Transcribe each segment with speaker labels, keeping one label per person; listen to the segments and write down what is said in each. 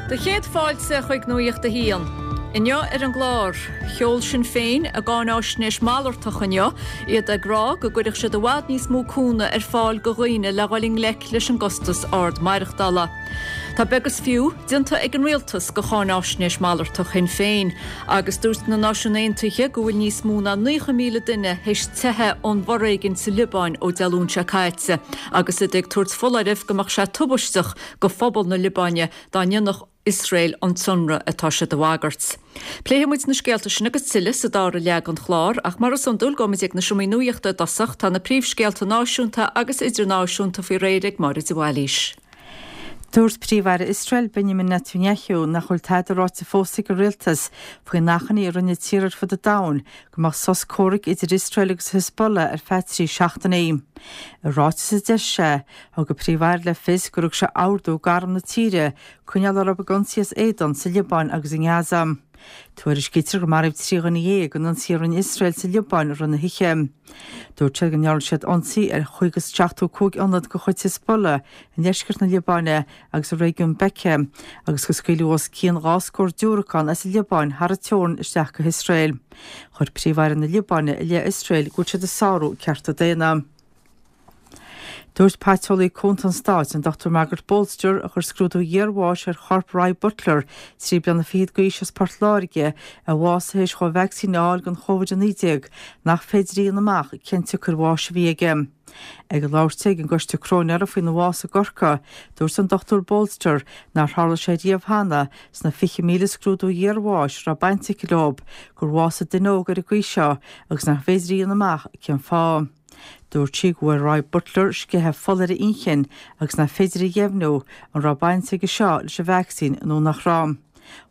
Speaker 1: Do chéad fáilte chuig Nuacht a hAon. Inniu ar an gclár, sheol Sinn Féin a gcáináisnéis malartach inniu, iad ag rá go gcuirfeadh siad i bhfad níos mó cúnamh ar fáil go dhaoine le dhul i ngleic leis an gcostas ard maireachtála. Tá beag is fiú déanta ag an rialtas go cháináisnéis malartach Shinn Féin agus dúirt na Náisiúin Aontaithe go bhfuil níos mó ná 90,000 duine théis teitheadh ón bhforéigean sa Liobáin ó Dé Luain seo caite agus iad ag tabhairt foláirimh go mbeadh sé tubaisteach go phobal na Liobáine dá ndéanfadh Iosrael an t-ionradh atá siad a bhagairt. Pléifidh muid na scéalta sin agus tuilleadh sa dara leath den chlár, ach mar is iondúil gabhfaidh muid ag na seomraí nuachta i dtosach. Tá na príomhscéalta náisiúnta agus idirnáisiúnta faoi réir ag Máire de Bhailís.
Speaker 2: Dúirt Príomh-Aire Iosrael, Benjamin Netanyahu, nach bhfuil tada ráite fós ag a rialtas faoin achainí a rinne tíortha ar fud an domhain go mbeadh sos comhraic idir Iosrael agus Hezbollah ar feadh 3 seachtainí. I ráiteas a d'eisigh sé, Thug an Príomh-Aire le fios gur thug sé ordú d'arm na tíre coinneáil orthu ag ionsaí as éadan sa Liobáin agus i nGaza. Tuairiscítear gur maraíodh 13 dhuine in ionsaí a rinne Iosrael sa Liobáin i rith na hoíche. Dúirt siad go ndearna siad ionsaí ar 75 ionad de chuid Hezbollah i ndeisceart na Liobáine agus i réigiún Bekaa agus go scaoileadh os cionn dhá scór diúracán as an Liobáin thar an teorainn isteach go hIosrael. Chuir Príomh-Aire na Liobáine i leith Iosrael go bhfuil siad ag sárú cearta daonna. Dúirt Paiteolaí Cúnta an Stáit, an Dr Margaret Bolster, a chuir scrúdú iarbháis ar chorp Roy Butler, 23 bliana d'aois as Port Láirge, a bhásaigh théis dhó vacsaín a fháil don Chóvid-19, nach féidir a dhéanamh amach cén tsiocair bháis a bhí aige. Ag labhairt di ag an gcoiste cróinéara faoina bhás i gCorcaigh, dúirt an Dr Bolster nár tharla sé riamh cheana sna 20,000 scrúdú iarbháis a raibh baint aici leo, gur bhásaigh duine óg ar an gcaoi seo agus nach féidir a dhéanamh amach cén fáth. Dúirt sí go bhfuair Roy Butler sceitheadh fola ar a inchinn agus nach féidir a dheimhniú an raibh baint aige seo leis an vacsaín nó nach raibh.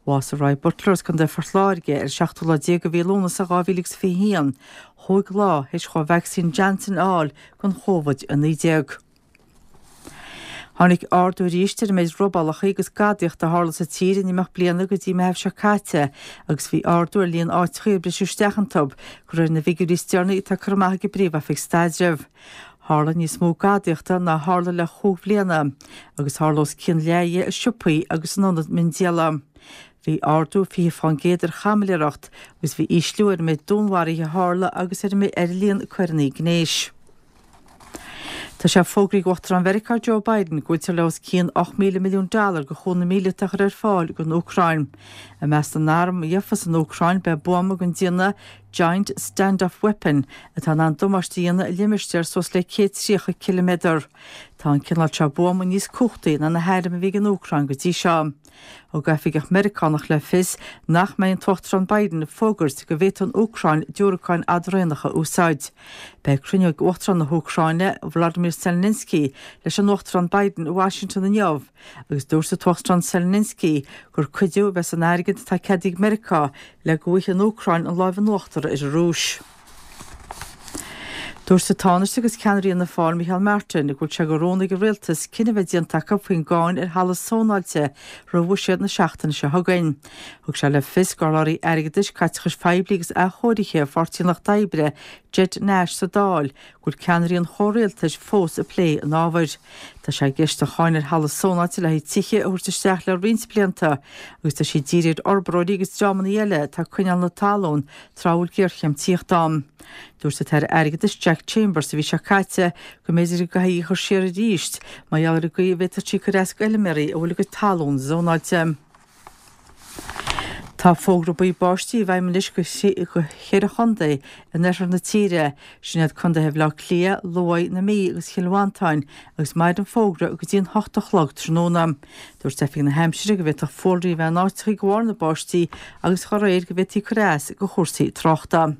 Speaker 2: Bhásaigh Roy Butler as Contae Phort Láirge ar an seachtú lá déag de mhí Lúnasa 2021, chúig lá théis dhó vacsaín Janssen a fháil don Chóvid-19. Tháinig ardú arís ar an méid robálacha agus gadaíochta a tharla sa tír in imeacht bliana go dtí Meitheamh seo caite agus bhí ardú ar líon áiteacha ar briseadh isteach iontu, de réir na bhfigiúirí is deireanaí atá curtha amach ag an bPríomh-Oifig Staidrimh. Tharla níos mó gadaíochta ná tharla le chúig bhliana agus tharla os cionn leath dhe i siopaí agus in ionaid miondíola. Bhí ardú 20% ar chaimiléireacht agus bhí ísliú ar an méid dúnmharaithe a tharla agus ar an líon coireanna gnéis. Tá sé fógraithe ag Uachtarán Mheiriceá Joe Biden go bhfuiltear le os cionn 8,000 milliún dollar de chúnamh míleata a chur ar fáil don Úcráin. I measc na n-arm a gheofas an Úcráin beidh buama den déanamh Giant Standoff Weapon atá in ann damáiste a dhéanamh i limistéar suas le 130 ciliméadar. Tá an cineál seo buama níos cumhachtaí ná na hairm a bhí ag an Úcráin go dtí seo. Thug oifigeach Meiriceánach le fios nach mbeidh an tUachtarán Biden ag fógairt go bhféadfadh an Úcráin diúracáin fhadraonacha a úsáid. Beidh cruinniú ag Uachtarán na hÚcráine, Volodymyr Zelensky, leis an Uachtarán Biden i Washington inniu agus dúirt an tUachtarán Zelensky gur cuidiú a bheidh san airgead atá ceadaithe ag Meiriceá le go bhfaighidh an Úcráin an láimh in uachtar ar an Rúis. Dúirt an Tánaiste agus ceannaire Fhianna Fáil Micheál Martin go bhfuil sé de rún ag an Rialtas cinneadh a bheith déanta acu faoin gcáin ar thalamh zónáilte roimh bhuiséad na seachtaine seo chugainn. Thug sé le fios gur urlabhraí airgeadais, caiteachais phoiblí agus athchóirithe Pháirtí an Lucht Oibre, Ged Nash sa Dáil go bhfuil ceannairí an chomhrialtais fós ag plé an ábhair. Tá sé i gceist an cháin ar thalamh zónáilte le haghaidh tithe a thabhairt isteach le roinnt blianta agus tá sí dírithe ar fhorbróirí agus dreamanna eile atá ag coinneáil na talún tráth a bhfuil géarchéim tithíochta ann. Dúirt an tAire Airgeadais Jack Chambers an mhí seo caite go mb'fhéidir go gcaithfí í a chur siar arís mar gheall ar an gcaoi a bhféadfadh sí cur as d'fheilméaraí a bhfuil a gcuid talún zónáilte. Tá fógra buí báistí i bhfeidhm anois do cheithre chontae in oirthear na tíre, sin iad contaetha Bhaile Átha Cliath, Lú, na Mí agus Chill Mhantáin, agus mairfidh an fógra go dtí an hocht a chlog tráthnóna. Dúirt Oifig na hAimsire go bhféadfadh fuarlaigh a bheith in áiteacha de bharr na báistí agus dá réir go bhféadfaí cur as do chúrsaí tráchta.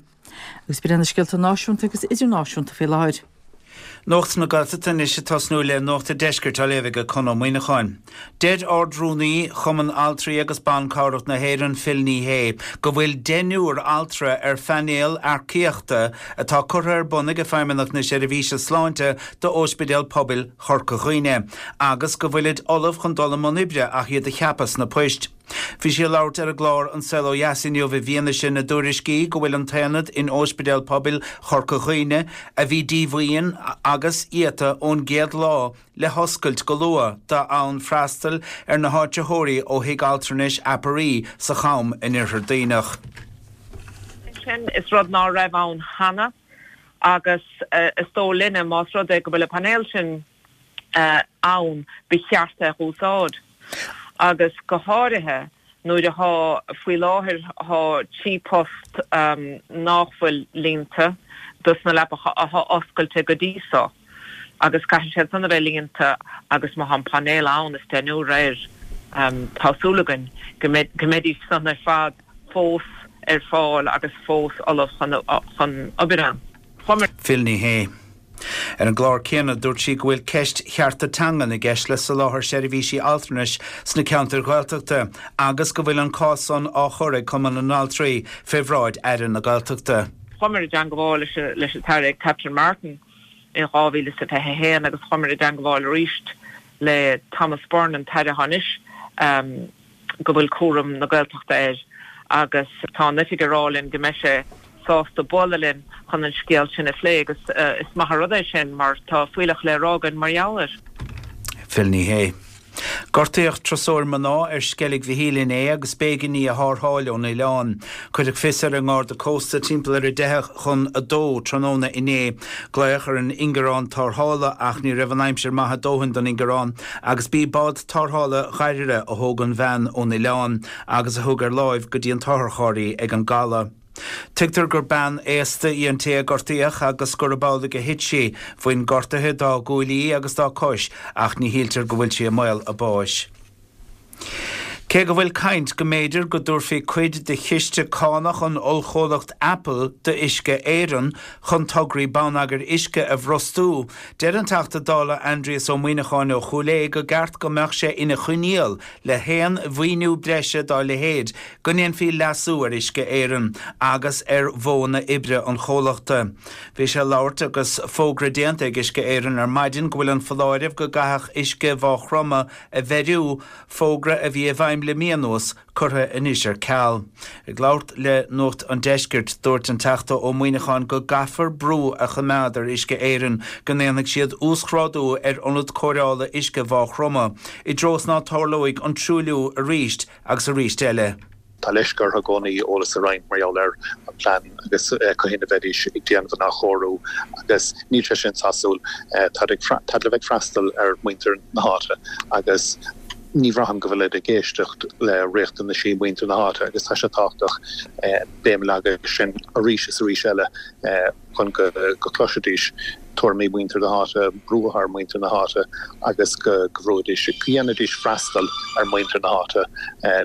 Speaker 2: Agus b'in iad na scéalta náisiúnta agus idirnáisiúnta faoi láthair.
Speaker 3: Nuacht na Gaeltachta anois ag tosnú le Nuacht an Deiscirt á léamh ag Conn Ó Muíneacháin. Deir Ard-Rúnaí Chumann Altraí agus Ban Cabhrach na hÉireann, Phil Ní Sheaghdha, go bhfuil deichniúr altra ar phainéal earcaíochta atá curtha ar bun ag Feidhmeannacht na Seirbhíse Sláinte d'Ospidéal Pobail Chorca Dhuibhne agus go bhfuilid ullamh chun dul i mbun oibre ach iad a cheapadh sna poist. Bhí sí ag labhairt ar an gclár An Saol Ó Dheas inniu i bhfianaise na dtuairiscí go bhfuil an t-aonad in Óispidéal Pobail Chorca Dhuibhne, a bhí díomhaoin agus iata ón gcéad lá, le hoscailt go luath d'fhonn freastal ar na háitritheoirí ó Thigh Altranais Aperee sa Cham in Oirthear Duibhneach.
Speaker 4: Sin is rud ná raibh ann cheana agus is dóigh linne más rud é go bhfuil an painéal sin ann ba cheart é a dh'úsáid agus go háirithe nuair athá, faoi láthair thá 3 post nách bhfuil líonta dos na leapacha athá oscailte go dtí so agus caithfidh siad san a bheith líonta agus má thá an painéal ann is deichniúr air tá súil againn go mbeidís san ar fad fós ar fáil agus fós ullamh chun obair ann.
Speaker 3: Phil Ní Sheaghdha. Ar an gclár céanna, dúirt sí go bhfuil ceist chearta teangan i gceist le soláthar seirbhísí altranais sna ceantair Ghaeltachta agus go bhfuil an cás san á chur ag Cumann na nAltraí fé bhráid Aire na Gaeltachta.
Speaker 4: Chuamar i dteangabháil leis an tAire Catherine Martin in 2021 agus chuamar i dteangabháil arís le Thomas Byrne, an tAire atá anois. go bhfuil cúram na Gaeltachta air agus tá an oifig ag rá linn go mbeidh sé sásta bualadh linn chun an scéal sin a phlé agus is maith an rud é sin mar tá fuílleach le rá againn mar gheall air.
Speaker 3: Phil Ní Sheaghdha. Gortaíodh turasóir mná ar Sceilg Mhichíl inné agus b'éigean í a tharrtháil ón oileán. Cuireadh fios ar an nGarda Cósta timpeall ar 9:50 tráthnóna inné. Glaodh ar an ingearán tarrthála ach ní raibh an aimsir maith a dóthain don ingearán agus b'í bád tarrthála Dhoire a thóg an bhean ón oileán agus a thug ar láimh go dtí an t-otharcharr í ag an gcaladh. Tuigtear gur bean aosta í an té a gortaíodh agus gurb amhlaidh a thit sí. Bhain gortuithe dá guaillí agus dá cois ach ní shíltear go bhfuil sí i mbaol a báis. Cé go bhfuil caint go mb'fhéidir go dtabharfaí cuid de chiste cánach an ollchomhlacht Apple d'Uisce Éireann chun tograí bonneagair uisce a bhrostú, deir an Teachta Dála Aindrias Ó Muimhneacháin ó Chúil Aodha go gceart go mbeadh sé ina choinníoll le haon mhaoiniú breise dá leithéid go ndéanfaí leasú ar Uisce Éireann agus ar mhodhanna oibre an chomhlachta. Bhí sé ag labhairt agus fógra déanta ag Uisce Éireann ar maidin go bhfuil an foláireamh go gcaithfeadh uisce Mhaigh Chromtha a bheiriú, fógra a bhí i bhfeidhm le mí anuas, curtha anois ar ceal. Ag labhairt le Nuacht an Deiscirt, dúirt an Teachta Ó Muimhneacháin go gcaithfear brú a choimeád ar Uisce Éireann go ndéanfaidh siad uasghrádú ar ionad cóireála uisce Mhaigh Chromtha, i dtreo is ná tarlóidh an truailliú arís agus arís eile.
Speaker 5: Tá leisce orthu i gcónaí eolas a roinnt mar gheall ar an bplean agus cathain a bheidís ag déanamh an athchóiriú agus níl sé sin sásúil. Táid ag táid le bheith ag freastal ar mhuintir na háite agus ní bhraithim go bhfuilid ag éisteacht le riachtanaisí mhuintir na háite agus tá sé tábhachtach béim a leagadh air sin arís is arís eile. chun go gcloisfidís tuairimí mhuintir na háite, brú ar mhuintir na háite agus go bhrúidís, go ndéanfaidís freastal ar mhuintir na háite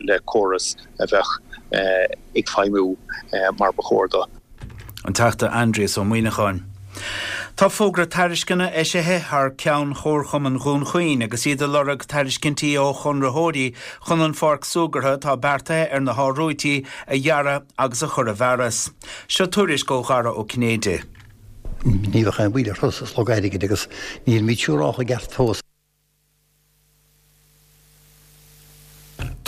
Speaker 5: le córas a bheadh ag feidhmiú mar ba chóir dó.
Speaker 3: An Teachta Aindrias Ó Muimhneacháin. Tá fógra tairisceana eisithe thar ceann Chomharchumann Dhún Chaoin agus iad ag lorg tairiscintí ó chonraitheoirí chun an pháirc súgartha atá beartaithe ar na hArdrúití a dhearadh agus a chur i bhfearas. Seo tuairisc ó Dhara Ó Cinnéide.
Speaker 6: Ní bheadh aon mhoill ar thuras is lorg airgid agus nílimid siúrálta i gceart fós.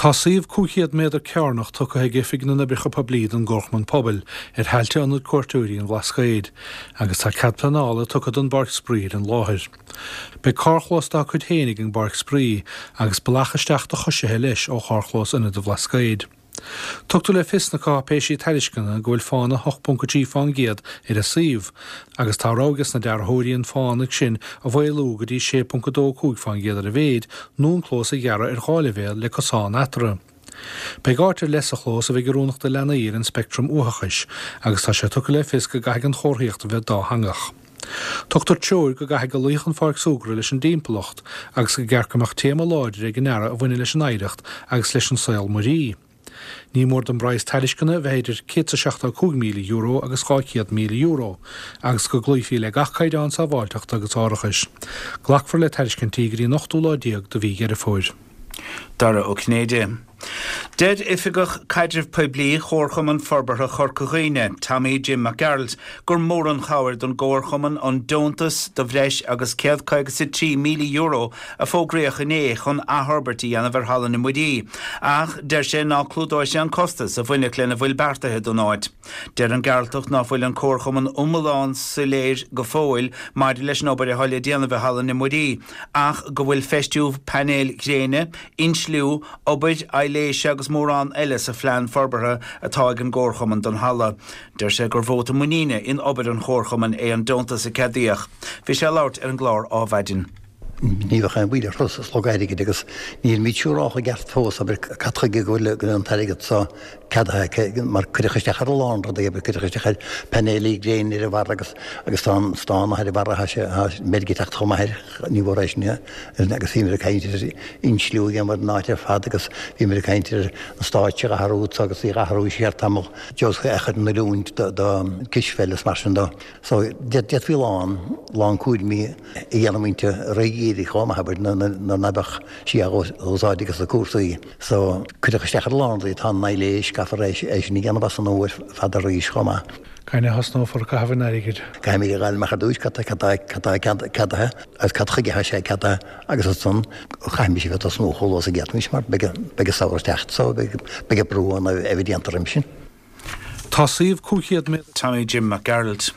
Speaker 7: Tá suíomh 500 méadar cearnach tugtha ag Oifig na nOibreacha Poiblí don gComharchumann Pobail ar thailte Ionad Cuairteoirí an Bhlascaoid agus tá cead pleanála tugtha don bpáirc spraoi ar an láthair. Beidh carrchlós dá cuid féin ag an bpáirc spraoi agus bealach isteach do choisithe leis ó charrchlós Ionad an Bhlascaoid. Tugtar le fios sna cáipéisí tairisceana go bhfuil fána 8.3% ar an suíomh, agus tá rogha ages na dearthóirí an fána sin a mhaolú go dtí 6.25% ar a mhéid, nó an clós a ghearradh ar dhá leibhéal le cosán eatarthu. Beidh áit ar leith sa chlós a bheidh oiriúnach do leanaí ar an speictream uathachais agus tá sé tugtha le fios go gcaithfidh an chomharthaíocht a bheith dátheangach. Tugtar treoir go gcaithfidh go luífeadh an pháirc súgartha leis an dtimpeallacht agus go gceart go mbeadh téama láidir ag an ndearadh a bhaineann leis an oidhreacht agus leis an saol muirí. Ní mór don bpraghas tairisceana a bheith idir €175,000 agus €200,000 agus go gcloífí le gach caighdeán sábháilteachta agus árachais. Glacfar le tairiscintí go dtí an ochtú lá déag de mhí Dheireadh Fómhair.
Speaker 3: Dara Ó Cinnéide. Deir Oifigeach Caidrimh Poiblí Chomharchumann Forbartha Chorca Dhuibhne, Tommy Jim Mac Gearailt, gur mór an chabhair don gcomharchumann an deontas de bhreis agus €153,000 a fógraíodh inné chun athfhorbairt a dhéanamh ar Halla na Muirí, ach deir sé ná clúdóidh sé an costas a bhainfeadh lena bhfuil beartaithe don áit. Deir an Gearaltach ná fuil an Comharchumann iomlán soiléir go fóill maidir leis an obair atá le déanamh i Halla na Muirí ach go bhfuil feistiú painéil ghréine, insliú, obair aibhléise agus mórán eile sa phlean forbartha atá ag an gComharchumann don halla. Deir sé gur vóta muiníne in obair an Chomharchumainn é an deontas a ceadaíodh. Bhí sé ag labhairt ar an gclár Ádhmhaidin.
Speaker 6: Ní bheadh aon mhoill ar thuras is lorg airgid agus nílimid siúrálta i gceart fós, abair, cad chuige go bhfuil an t-airgead so ceadaithe aici mar cuireadh isteach ar a lán rudaí, abair, cuireadh isteach ar painéilí gréine ar an bharra agus agus tá an stán ar an bharra, tá sé, tá meirg ag teacht chomh maith air, ní mhór é sin agus bhíomar ag caint ar insliú a dhéanamh ar an áit ar fad agus bhíomar ag caint ar an stáitse a athrú agus í a athrú siar tamall, Joseph a chur in oiriúint do cispheil is mar sin dó. So, d'fhéadfaí a lán, lán cúraimí a dhéanamh inti réidh dhíreach chomh maith, abair, nuair ná beadh sí á úsáid ages na cúrsaí. So, cuireadh isteach ar a lán rudaí, tá an aibhléis, caithfear é sin a dhéanamh as an nua ar fad arís chomh maith.
Speaker 7: Cathain a thosnófar ag caitheamh an airgid?
Speaker 6: Caithfimid a dh'fháil amach ar dtúis cad tá, cad tá, cad tá ceadaithe agus cad chuige atá sé ceadaithe agus ansan chaithfimis a bheith ag tosnú chomh luath is a d'fhéadfaimis mar beidh, beidh an samhradh ag teacht so beidh, beidh an brú ann a bheith déanta roimhe sin.
Speaker 7: Tá suíomh 500 méadar.
Speaker 3: Tommy Jim Mac Gearailt.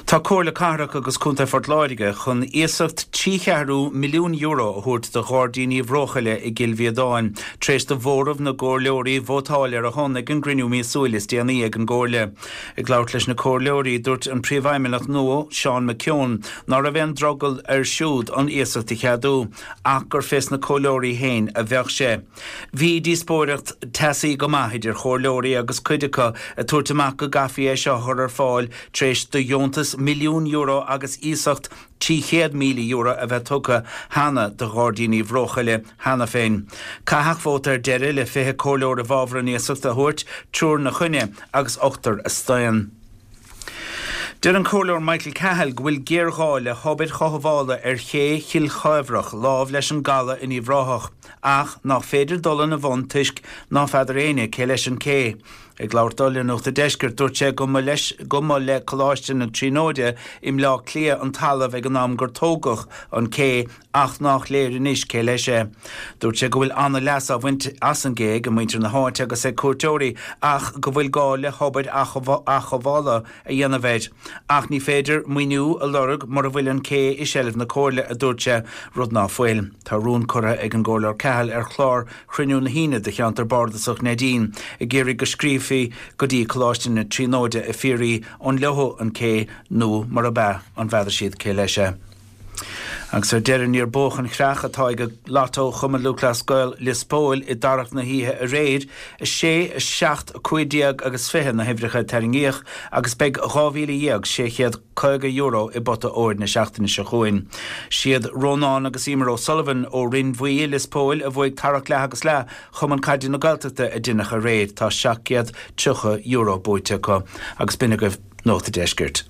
Speaker 3: Tá Comhairle Cathrach agus Contae Phort Láirge chun iasacht €3/4 milliún a thabhairt do Ghairdíní Bhróchaille i gCill Mhíodáin tar éis do mhóramh na gcomhairleoirí vótáil ar a shon ag an gcruinniú míosúil is déanaí ag an gComhairle. Ag labhairt leis na comhairleoirí, dúirt an Príomhfheidhmeannach nua, Seán McKeown, ná raibh aon drogall air siúd an iasacht a cheadú ach gur fés na comhairleoirí féin a bheadh sé. Bhí díospóireacht teasaí go maith idir chomhairleoirí agus cuid acu ag tabhairt amach go gcaithfí é seo a chur ar fáil tar éis do dheontas €1,000,000 agus iasacht €300,000 a bheith tugtha cheana do Ghairdíní Bhróchaille cheana féin. Caitheadh vóta ar deireadh le 20 comhairleoir i bhfabhar an iasacht a thabhairt, triúr 'na choinne agus ochtar a staon. Deir an Comhairleoir Michael Cahill go bhfuil géarghá le hobair chothabhála ar ché Chill Chaibhreach lámh leis an gcaladh in Uíbh Ráthach ach nach féidir dul ina bhun toisc ná feadar éinne cé leis an cé. Ag labhairt dó le Nuacht a' Deiscirt dúirt sé go mba leis go mba le Coláiste na Tríonóide i mBleá Cliath an talamh ag an am gur tógadh an cé ach nách léir anois cé leis é. Dúirt sé go bhfuil an-leas á bhaint as an gcé ag muintir na háite agus ag cuairteoirí ach go bhfuil gá le hobair athchothabhála a dhéanamh air. Ach ní féidir maoiniú a lorg mura bhfuil an cé i seilbh na Comhairle, a dúirt sé, rud ná fuil. Tá rún curtha ag an gComhairleoir Cahill ar chlár chruinniú na hAoine do cheantar bardasach Neidín ag iarraidh go scríobhfaí go dtí Coláiste na Tríonóide ag fiafraí an leo an cé nó murab ea an bhfeadar siad cé leis é. Agus ar deireadh, níor buadh an chreach atá ag Lotto Chumann Lúthchleas Gael Lios Póil i dtarrac na hoíche aréir, 6, 7, 15 agus 20 na huimhreacha a tarraingíodh agus beidh €12,650 i bpota óir na seachtaine seo chugainn. Siad Rónán agus Emer O'Sullivan ó Rinn Bhuí i Lios Póil a bhuaigh tarrac leath agus leath Chumann Caide na Gaeltachta a deineadh aréir. Tá €730 buaite acu. Agus b'in agaibh Nuacht a' Deiscirt.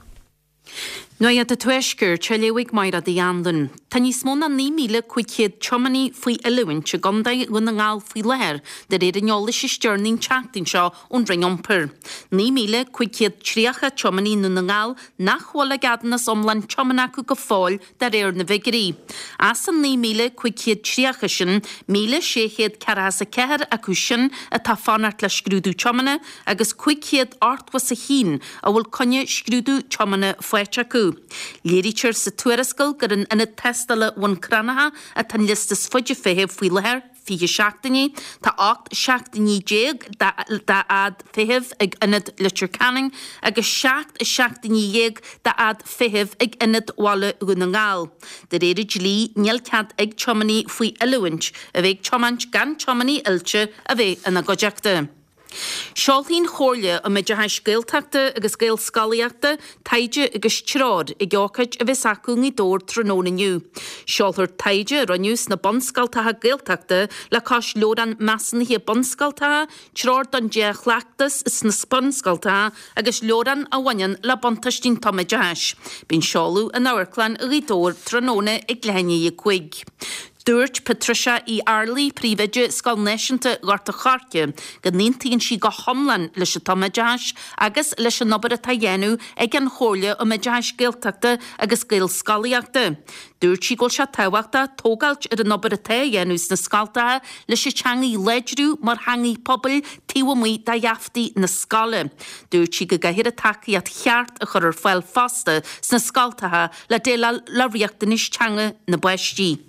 Speaker 8: Nuacht an Tuaiscirt á léamh ag Mairéad Uí Anluain. Tá níos mó ná 9,500 tiománaí faoi oiliúint i gContae Dhún na nGall faoi láthair, de réir an eolais is deireanaí an tseachtain seo ón Roinn Iompair. 9,530 tiománaí i nDún na nGall nach bhfuil a gceadúnas iomlán tiomána acu go fóill de réir na bhfigiúirí. As an 9,530 sin, 1,644 acu sin atá ag fanacht le scrúdú tiomána agus 581 a bhfuil coinne scrúdú tiomána faighte acu. Léirítear sa tuarascáil gur in Ionad Tástála Bhun Cranncha atá an liosta is faide feithimh faoi láthair, 20 seachtainí. Tá 18 seachtainí d'fhad feithimh ag Ionad Leitir Ceanainn agus 17 seachtainí d'fhad feithimh ag Ionad Bhaile Dhún na nGall. De réir an dlí, níl cead ag tiománaí faoi oiliúint a bheith ag tiomáint gan tiománaí oilte a bheith ina gcuideachta. Seolfaidh an Chomhairle um Oideachais Gaeltachta agus Gaelscolaíochta taighde agus treoir ag ócáid a bheas acu i nGaoth Dobhair tráthnóna inniu. Seolfar taighde a rinneadh sna bunscoltacha Gaeltachta le cois leabhrán measúnaithe bunscoltacha, treoir don dea-chleachtas sna bunscoltacha agus leabhrán a bhaineann le buntáistí an tumoideachais. Beidh an seoladh in Amharclann Ghaoth Dobhair tráthnóna ag leath i ndiaidh a 5. Dúirt Patricia Uí Fhearraigh, Príomhoide Scoil Náisiúnta Ghort a' Choirce, go n-aontaíonn sí go hiomlán leis an tumoideachas agus leis an obair atá á dhéanamh ag an Chomhairle um Oideachais Gaeltachta agus Gaelscolaíochta. Dúirt sí go bhfuil sé tábhachtach tógáilt ar an obair atá á dhéanamh sna scoltacha leis an teangaidh a láidriú mar theangaidh pobail taobh amuigh de gheaftaí na scoile. Dúirt sí go gcaithfear an tacaíocht cheart a chur ar fáil fosta sna scoltacha le déileáil le riachtanais teanga na bpáistí.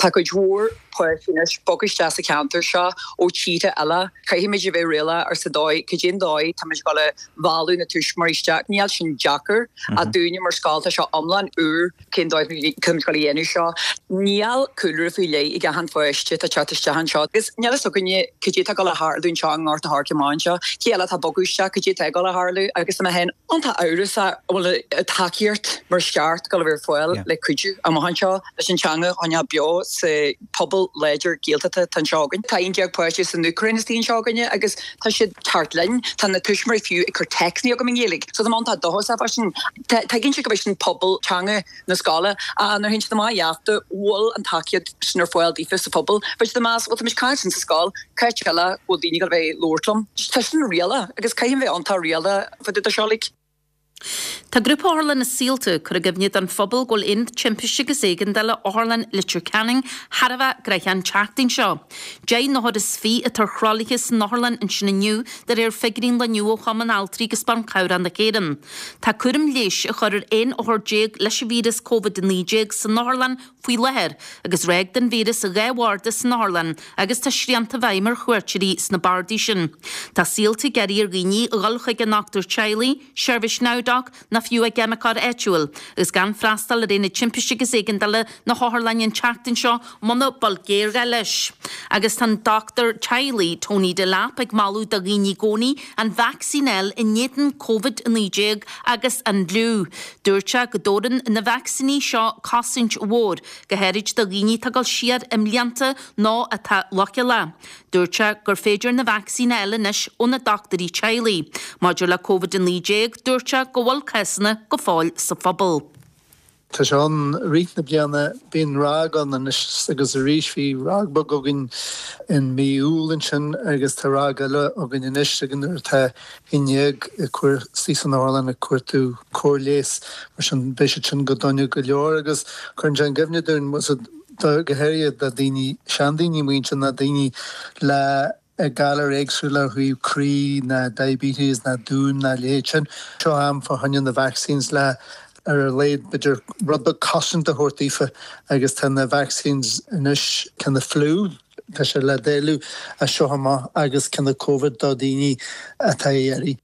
Speaker 9: Tá cuid mhór páistí anois bogtha isteach sa cheantar seo ó tíortha eile. Caithfimid a bheith réalaíoch ar sa dóigh, cad é an dóigh táimid ag dul a mhealladh na tuismitheoirí isteach. Níl sin deacair ach dúinne mar scoil tá seo iomlán úr cén dóigh táimid ag dul a dhéanamh seo. Níl cúlra faoi leith ag achan pháiste atá ag teacht isteach anseo agus níl fhios againne cad é atá ag dul a tharlú anseo i nGort a' Choirce amach anseo, cé eile atá ag bogadh isteach, cad é atá ag dul a tharlú agus tá mé féin iontach amhrasach an bhfuil an tacaíocht mar is ceart ag dul a bheith ar fáil le cuidiú amach anseo leis an teanga a choinneáil beo sa pobal láidir Gaeltachta atá anseo againn. Tá 11 páiste as an Úcráin istigh anseo againne agus tá siad thart linn. Tá na tuismitheoirí fiú ag cur téacsanna chugam i nGaeilge. So tá mé iontach dóchasach fá sin. Tuigeann siad go bhfuil sin pobal teanga na scoile. Ach nuair a théann siad amach gheafta, bhfuil an tacaíocht sin ar fáil daofa sa phobal. Bheadh siad ag meas, bhuel tá muid ag caint sin sa scoil, cá háit eile bhfuil daoine ag dul a bheith ag labhairt liom? Tá sin réalach agus caithfidh bheith iontach réalach fá dtaobh de seo like.
Speaker 8: Tá Grúpa Otharlann na Saolta ag cur i gcuimhne don phobal go bhfuil Aonad Timpiste agus Éigeandála Otharlann Leitir Ceanainn thar a bheith gnoitheach an tseachtain seo. 10 n-othar is 20 atá ar thralaithe san otharlann ansin inniu de réir figiúirí an lae inniu ó Chumann Altraí agus Ban Cabhrach na hÉireann. Tá cúram leighis á chur ar 11 othar leis an víreas Covid-19 san otharlann faoi láthair agus ráig den víreas i 2 bharda san otharlann agus tá srianta i bhfeidhm ar chuairteoirí sna bardaí sin. Tá Saolta ag iarraidh ar dhaoine a dhul chuig a ndochtúir teaghlaigh, seirbhís NowDoc ná fiú a gceimiceoir áitiúil agus gan freastal ar Aonad Timpiste agus Éigeandála na hotharlainne an tseachtain seo muna bhfuil géarghá leis. Agus tá an dochtúir teaghlaigh, Tony Delap, ag moladh do dhaoine i gcónaí an vacsaín a fháil in éadan Covid-19 agus an fhliú. Dúirt sé go dtabharann na vacsaíní seo cosaint mhór, go háirid do dhaoine atá ag dul siar i mblianta nó atá leochaileach. Dúirt sé gur féidir na vacsaíní a fháil anois ó na dochtúirí teaghlaigh. Maidir le Covid-19, dúirt sé go bhfuil cásanna go fóill sa phobal.
Speaker 10: Tá sé ann i rith na bliana. Bíonn ráig ann anois agus arís. Bhí ráig beag againn in mí Iúil ansin agus tá ráig eile againn anois agus nuair atá 11 ag cur suí san otharlann ag cuartú cóir leighis. Mar sin beidh siad sin go dona go leor agus cuireann sé i gcuimhne dúinn, go háirithe do daoine, seandaoine muintir ná daoine le galair éagsúla ó thaobh croí ná diabetes ná dún ná leithéid sin. Seo am fá choinne na vaccines le ar a laghad b'fhéidir rud beag cosaint a thabhairt daofa agus tá na vaccines anois ceann na fliú tá sé le dáileadh as seo amach agus ceann na covid do daoine atá á iarraidh.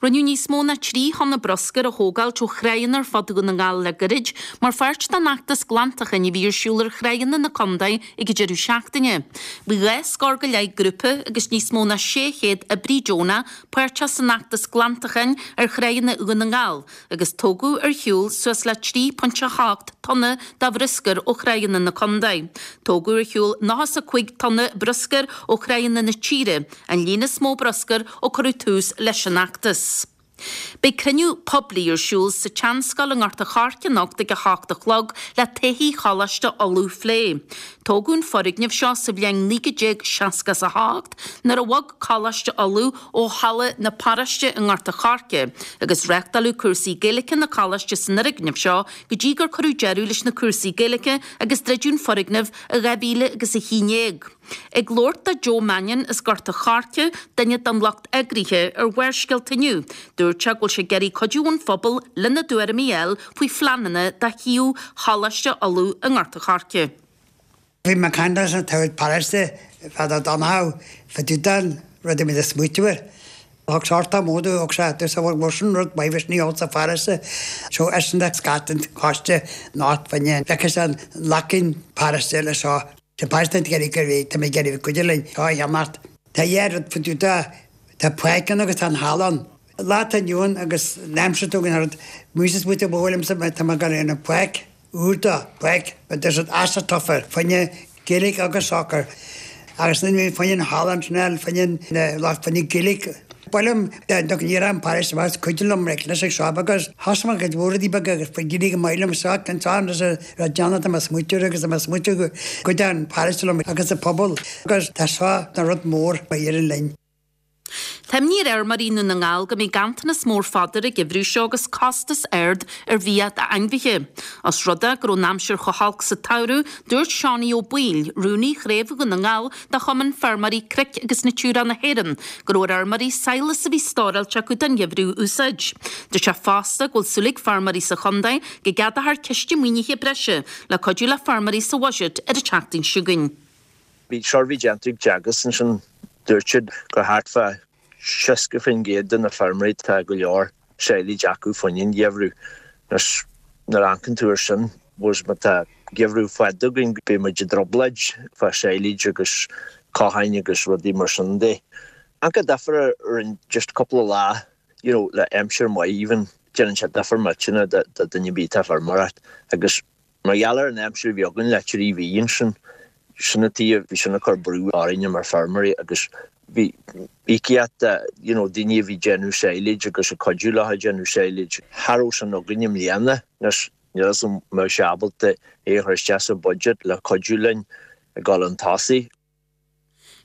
Speaker 8: Rinneadh níos mó ná 3 thonna bruscair a thógáilt ó thráigheanna ar fud Dhún na nGall le gairid mar pháirt den fheachtas glantacháin a bhí ar siúl ar thráigheanna na contae ag an deireadh seachtaine. Bhí dhá scór go leith grúpa agus níos mó ná 600 oibrí deonach páirteach san fheachtas glantacháin ar thráigheanna Dhún na nGall agus tógadh ar shiúl suas le 3.8 tonna de bhruscar ó thráigheanna na contae. Tógadh ar shiúl 95 tonna bruscair ó thráigheanna na tíre An líon is mó bruscair ó cuireadh tús leis an fheachtas. Beidh cruinniú poiblí ar siúl sa tSeanscoil i nGort a' Choirce anocht ag 8 a chlog le taithí Choláiste Uladh a phlé. Tógadh an foirgneamh seo sa bhliain 1968 nuair a bhog Coláiste Uladh ó Halla na Paróiste i nGort a' Choirce agus reáchtáladh cúrsaí Gaeilge na Coláiste san fhoirgneamh seo go dtí gur cuireadh deireadh leis na cúrsaí Gaeilge agus druideadh an foirgneamh i 2011. Ag labhairt do Joe Mannion as Gort a' Choirce, duine den lucht eagraithe, ar Bharrscéalta inniu, dúirt sé go bhfuil sé ag iarraidh cuidiú ón phobal lena dtuairimí a fháil faoi phleananna do shuíomh Choláiste Uladh i nGort a' Choirce.
Speaker 11: Bhí mé ag caint leis an taobh paróiste fad a d'fhanfadh fá dtaobh den rud a bhí ag smaoitiú air. Thug sort of módú, thug sé tús a bhfuil sin rud maith bhí sin sa pharóiste. So eisean a scat an choiste not fá ndéan. Feiceann sé an lacín paróiste le seo. Tá páiste ag iarraidh go bhféadfaidh mé ag iarraidh cuidiú linn seo a cheannacht. Tá dhá rud faoi dtaobh de, tá páirc ann agus tá an halla ann. Lá atá inniu ann agus an aimsir atá againn thart, muise is muid ag bhuail liomsa tá mé ag dul ar an pháirc úr do, páirc, but there's an astroturf fá choinne Gaeilge agus soccer. Agus ansin fá choinne an halla ansin eile fá choinne na, fá choinne Gaeilge. Ba mhaith liom dá ndéarfadh an paróiste amach cuidiú liom leis ag seo agus thosaigh mé cuid mhór rudaí beaga agus faoi d'éirigh go maith liom so an t-am is a raibh déanamh tá mé ag smaoitiú air agus tá mé ag smaoitiú go gcuideodh an paróiste liom agus an pobal agus tá seo ina rud mór a éireann linn.
Speaker 8: Tá imní ar fheirmeoirí i nDún na nGall go mbeidh ganntanas mór fodair an geimhreadh seo agus costas ard ar bhia d'ainmhithe. Os rud é go raibh an aimsir chomh holc sa tsamhradh, dúirt Seánie Ó Baoill, rúnaí Chraobh Dhún na nGall de Chumann Feirmeoirí Cnoic agus Natura na hÉireann, go raibh ar fheirmeoirí sadhlas a bhí stóráilte acu don gheimhreadh a úsáid. Dúirt sé fosta go bhfuil súil ag feirmeoirí sa chontae go gceadófar ciste maoinithe breise le cuidiú le feirmeoirí sa bhuiséad ar an tseachtain seo chugainn.
Speaker 12: Bhí suirbhé déanta ag Teagasc ansin, dúirt siad gur thart fá 60% de na feirmeoirí tá go leor silage acu fá choinne an gheimhreadh. Anois nuair a amharcann tú ar sin, bhuel má tá geimhreadh fada againn beidh muid i dtrioblóid fá silage agus cosáin agus rudaí mar sin de. Amharc difear ar an just cúpla lá you know le aimsir maith even déanann sé difear millteanach do duine ar bith atá ag feirmeoireacht agus Mar gheall ar an aimsir a bhí againn le trí mhí ansin, sin an tuige, bhí sin ag cur brú orainne mar feirmeoirí agus bhí íocaíocht de you know daoine a bhí ag déanamh silage agus ag cuidiú leo ag déanamh silage, cha raibh sin againn i mbliana. Anois níl a fhios agam an mbeadh sé ábalta é a chur isteach sa budget le cuidiú linn ag dul chun tosaigh.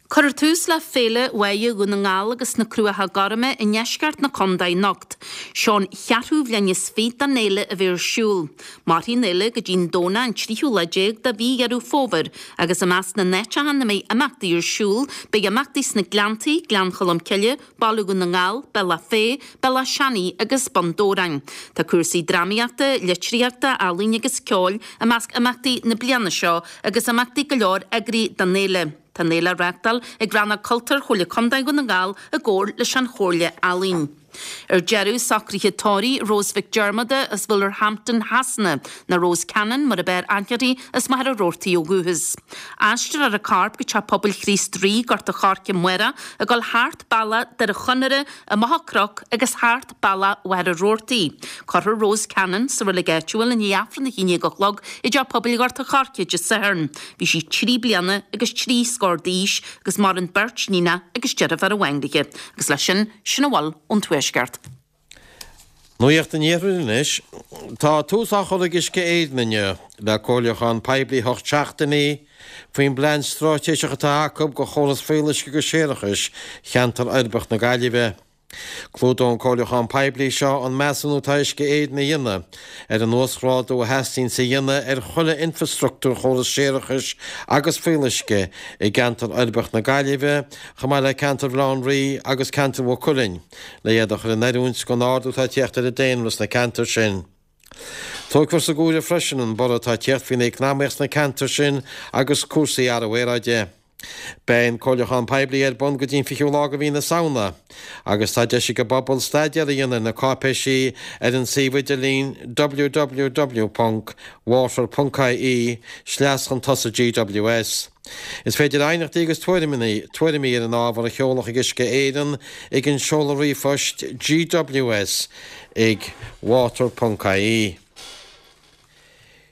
Speaker 8: Cuirfear tús le Féile Bháighe Dhún na nGall agus na Cruacha Gorma i ndeisceart na contae anocht. Seo an cheathrú bhliain is fiche den fhéile a bheith ar siúl. Mairfidh an fhéile go dtí an Domhnach an tríú lá déag de mhí Dheireadh Fómhair agus i measc na n-áiteacha ina mbeidh imeachtaí ar siúl beidh imeachtaí sna Gleanntaí, Gleann Cholm Cille, Baile Dhún na nGall, Bealach Féich, Bealach Seanaidh agus Bun Dobhráin. Tá cúrsaí drámaíochta, litríochta, ealaíne agus ceoil i measc imeachtaí na bliana seo agus imeachtaí go leor eagraithe don fhéile. Tá an fhéile á reáchtáil ag Rannóg Cultúir Chomhairle Contae Dhún na nGall i gcomhar leis an Chomhairle Ealaíon. Ar deireadh, socruithe tórraimh Rose Mhic Diarmada as Wolverhampton Shasana, nó Rose Cannon mar ab fhearr aithne uirthi, as Machaire Rabhartaigh ó dhúchas. Aistreofar a corp go Teach Pobail Chríost Rí, Gort a' Choirce amárach, ag dul thart bealach Doire Chonaire i Machaire Cnoc agus thart bealach Mhachaire Rabhartaigh. Cuirfear Rose Cannon sa reilig áitiúil i ndiaidh Aifreann 11 a chlog i dTeach Pobail Ghort a' Choirce Dé Sathairn. Bhí sí trí bliana agus trí scór d'aois agus maireann beirt níonach agus deirfiúr amháin léi. Agus leis sin, sin a bhfuil ón Tuaisceart.
Speaker 13: Nuacht an Iarthair anois. Tá tús á chur ag Uisce Éireann inniu le comhairliúchán poiblí 8 seachtainí faoin bplean straitéiseach atá acu do chóras fuíolluisce agus séarachais cheantar uirbeach na Gaillimhe. Clúdóidh an comhairliúchán poiblí seo an measúnú atá Uisce Éireann a dhéanamh ar an uasghrádú a theastaíonns a dhéanamh ar chuile infreastruchtúr chóras séarachais agus fuíolluisce i gceantar uirbeach na Gaillimhe chomh maith le ceantar Bhaile Átha an Rí agus ceantar Mhaigh Cuilinn. le iad a chur in oiriúint don ardú atá ag tíocht ar an daonra sna ceantair sin. Tógfar san áireamh freisin an borradh atá ag tíocht faoin eacnamaíocht sna ceantair sin agus cúrsaí athrú aeráide. Beidh an comhairliúchán poiblí ar bun go dtí an 20ú lá de mhí na Samhna agus tá deis ag an bpobal staidéar a dhéanamh ar na cáipéisí ar an suíomh idirlín www.water.ie sleas chun tosaigh GWS. Is féidir aighneachtaí agus tuairimí ar an ábhar a sheoladh chuig Uisce Éireann ag an seoladh ríomhphoist gws ag water ponc ie.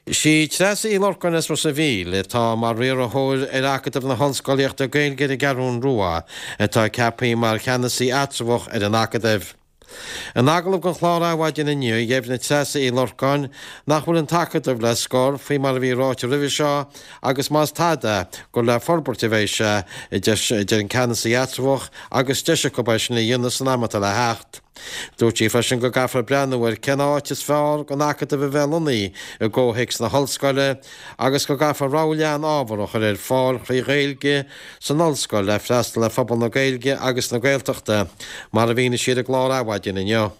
Speaker 13: Sí Treasa Uí Lorcáin as Ros a' Mhíl, atá mar riarthóir ar Acadamh na hOllscolaíochta Gaeilge ar an gCeathrún Rua, atá ceaptha mar cheannasaí eatramhach ar an Acadamh. In agallamh don chlár Adhmhaidin inniu, dheimhnigh Treasa Uí Lorcáin nach bhfuil an tAcadamh le scor, faoi mar a bhí ráite roimhe seo, agus más tada, gur le forbairt a bheidh sé, a deir an ceannasaí eatramhach, agus deis acu é sin a dhéanamh san am atá le theacht. Dúirt sí freisin go gcaithfear breathnú ar cén áit is fearr don Acadamh a bheith lonnaithe i gcomhthéacs na hollscoile agus go gcaithfear rogha leathan ábhar a chur ar fáil thrí Ghaeilge san ollscoil le freastal ar phobal na Gaeilge agus na Gaeltachta, mar a mhínigh sí ar an gclár Adhmhaidin inniu.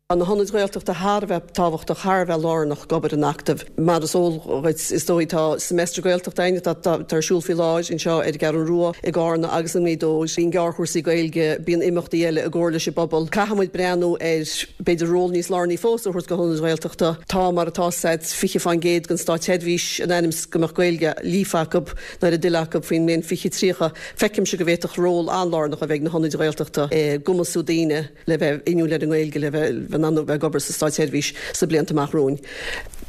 Speaker 14: Tá na hionaid Ghaeltachta thar a bheith tábhachtach, thar a bheith lárnach d'obair an Acadaimh. Mar is eol dhuit, is dóigh, tá Semester Gaeltachta againn atá ar siúl faoi láthair anseo ar an gCeathrú Rua, i gCarna agus i nGaoth Dobhair. Bíonn gearrchúrsaí Gaeilge, bíonn imeachtaí eile i gcomhar leis an bpobal. Caithfidh muid breathnú ar, b'fhéidir, ról níos lárnaí fós a thabhairt do hionaid Ghaeltachta. Tá, mar atá said, 20% den státseirbhís in ainm is go mbeadh Gaeilge líofa acu. Nó ar a dtoil acu faoin mbliain 2030, feicimse go bhféadfadh ról an-lárnach a bheith ag na hionaid Ghaeltachta i gcumasú daoine le bheith inniúil ar an nGaeilge, le bheith in ann a bheith ag obair sa státseirbhís sna blianta amach romhainn.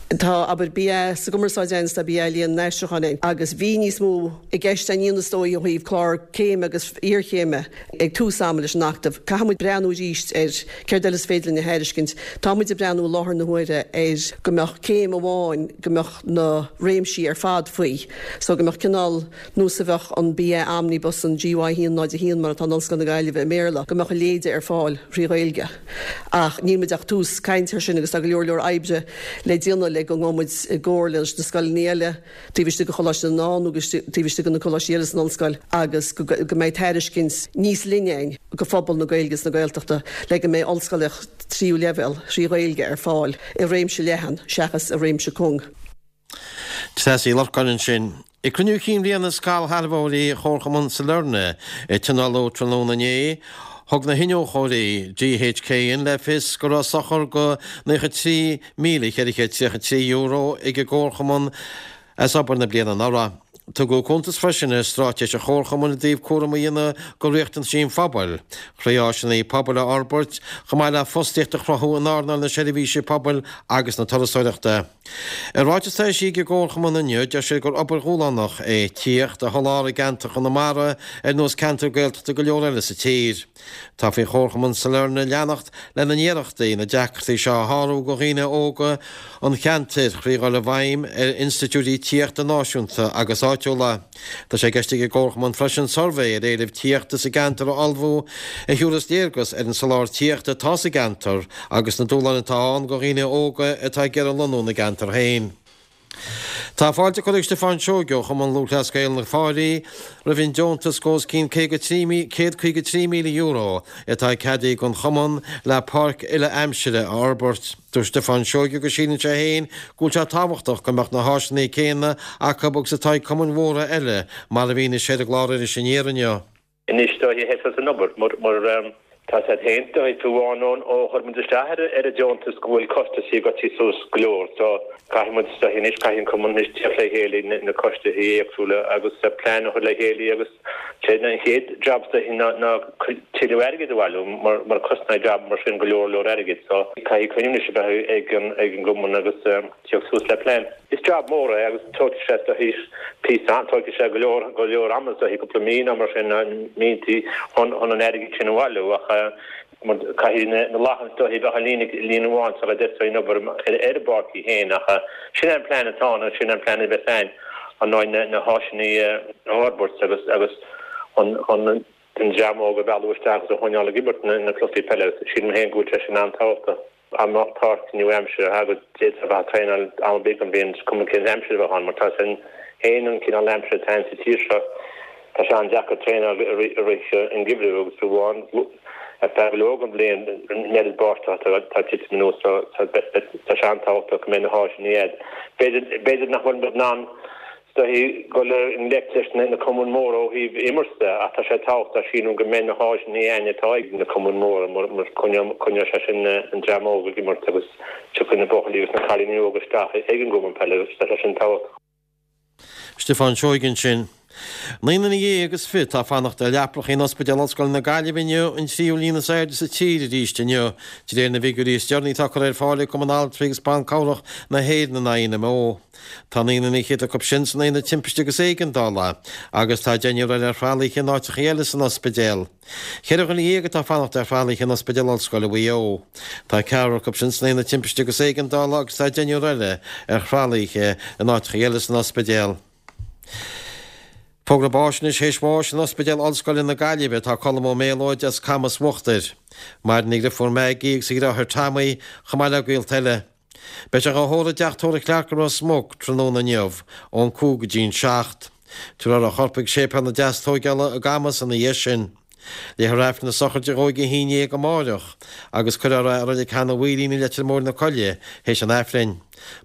Speaker 14: Tá, abair, BA sa gCumarsáid againn is tá BA Léann and Aistriúchán againn agus bhí níos mó i gceist againn is dóigh ó thaobh clár céime agus iarchéime ag tús ama leis an Acadamh. Caithfidh muid breathnú arís ar céard eile is féidir linn a thairiscint. Tá muid ag breathnú i láthair na huaire ar go mbeadh céim amháin go mbeadh na réimsí ar fad faoi so go mbeadh cineál nós a bheadh an BA Omnibus, an GY 1 0 1 mar atá in Ollscoil na Gaillimhe i mBéarla, go mbeadh a leithéide ar fáil thrí Ghaeilge. Ach níl muid ach tús cainte ar sin agus tá go leor leor oibre le déanamh le go ngabhfaidh muid i gcomhairle leis na scoileanna eile taobh istigh de Choláiste na nDán agus taobh istigh de na coláistí eile san Ollscoil agus go mbeidh tairiscint níos leithne againn go phobal na Gaeilge is na Gaeltachta le go mbeidh ollscolaíocht tríú leibhéal thrí Ghaeilge ar fáil i réimse leathan seachas i réimse cúng.
Speaker 13: Treasa Uí Lorcáin ansin. Ag cruinniú cinn bhliana scairshealbhóirí Chomharchumann Sailearna a tionóladh tráthnóna inné, thug na hiniúchóirí GHKN le fios go raibh sochar de €93,433 ag an gComharchumann as obair na bliana anuraidh. Tugadh cuntas freisin ar straitéis an Chomharchumainn i dtaobh cúram a dhéanamh do riachtanaisí an phobail, thrí áiseanna pobail a fhorbairt, chomh maith le fostaíocht a chruthú in earnáil na seirbhíse pobail agus na turasóireachta. I ráiteas atá eisithe ag an gComharchumann inniu, deir siad gur obair dhúshlánach é tithíocht a sholáthar i gceantar Chonamara ar nós ceantar Gaeltachta go leor eile sa tír. Tá faoin Chomharchumann Sailearna leanacht lena n-iarrachtaí na deacrachtaí seo a shárú do dhaoine óga an cheantair thrí dhul i bhfeidhm ar institiúidí tithíochta náisiúnta agus áitiúla. Tá sé i gceist ag an gComharchumann freisin suirbhé ar éileamh tithíochta sa gceantar a ullmhú a thiúrfas léargas ar an soláthar tithíochta atá sa gceantar agus na dúshláin atá ann do dhaoine óga atá ag iarraidh lonnú ina gceantar féin. Tá fáilte curtha ag Stiofán Seoige ó Chumann Lúthchleas Gael na Fáilí roimh an deontas de os cionn €153,000 atá ceadaithe don chumann le páirc uile-aimsire a fhorbairt. Dúirt Stiofán Seoige go síleann sé féin go bhfuil sé tábhachtach go mbeadh na háiseanna céanna acu agus atá ag cumainn mhóra eile mar a mhínigh sé ar an gclár Iris Aniar inniu.
Speaker 15: Anois is dóiche thosaigh an obair mar tá a fhios agat féin is dóiche fiú amháin ó chuir muid isteach ar an deontas go bhfuil costaisí ag goil suas go leor so caithfidh muid is dóiche anois caithfidh an cumann anois tíocht le chéile na coistí éagsúla agus plean a chur le chéile agus sé an chéad jab is dóiche ná tuilleadh airgid a bhailiú mar cosnaíonn jab mar sin go leor leor airgid so caithfidh cruinniú anois a bheith ag an ag an gcumann agus tíocht suas le plean. Is jab mór é agus tógfaidh sé is dóiche píosa tógfaidh sé go leor go leor ama is dóiche cúpla mí nó mar sin míontaí chun chun an airgid sin a bhailiú ach mar caithfidh na na lachain is dóiche bheith i líne líne amháin sula dtosóidh an obair ar ar an bpáirc í féin ach sin é an plean atá ann agus sin é an plean a bheas ann an ndóigh na na háiseanna a fhorbairt agus agus chun chun an dream óg a mhealladh isteach agus a choinneáil ag imirt na na cluichí peile agus sílim féin go bhfuil sé sin an-tábhachtach. Dá mbeadh páirc nua-aimseartha agat d'fhéadfá a bheith ag traenáil am ar bith den bhliain, is cuma cén aimsir a bheadh ann, mar tá a fhios agat féin an cineál aimsire atá ann sa tír seo, tá sé an-deacair traenáil i rith an gheimhridh agus fiú amháin ar feadh go leor den bhliain an oiread báisteach atá ag titim anuas so tá sé an-tábhachtach go mbeidh na háiseanna agat. B'fhéidir nach bhfuil muid in ann Is dóiche dul i ngleic leis na cumainn mhóra ó thaobh imirt de ach tá sé tábhachtach sílim go mbeidh na háiseanna againn atá ag na cumainn mhóra mar coinneoidh sé sin an dream óg ag imirt agus tiocfaidh na buachaillí agus na cailíní óga isteach ag an gcumann peile agus tá sé sin tábhachtach.
Speaker 13: Stiofán Seoige ansin. 29 duine atá ag fanacht ar leapacha in Ospidéal Ollscoile na Gaillimhe inniu, an tríú líon is airde sa tír arís inniu, de réir na bhfigiúirí is deireanaí atá curtha ar fáil ag Cumann Altraí agus Ban Cabhrach na hÉireann, an INMO. Tá 49 acu sin san Aonad Timpiste agus Éigeandála agus tá deichniúr eile ar thralaithe in áiteacha eile san ospidéal. Cheithre dhuine dhéag atá ag fanacht ar thralaithe in Ospidéal Ollscoile Mhaigh Eo. Tá ceathrar acu sin san Aonad Timpiste agus Éigeandála agus tá deichniúr eile ar thralaithe in áiteacha eile san ospidéal. Fógra báis anois théis bháis in Ospidéal Ollscoile na Gaillimhe atá Colm Ó Méalóid as Camas Uachtair. Maireann a dhriofúr Maggie agus a dhriotháir Tommy chomh maith le gaolta eile. Beidh sé dhá thórramh i dteach tórraimh Clarke i Ros Muc tráthnóna inniu, ón 5 go dtí'n 7. Tabharfar a chorp chuig Séipéal na Deastóigeála i gCamas ina dhiaidh sin. Léifear Aifreann na sochraide dhó ag a 11 amáireach agus cuirfear é i Reilig Sheanadh Mhaoilín i Leitir Móir na Coille théis an Aifrinn.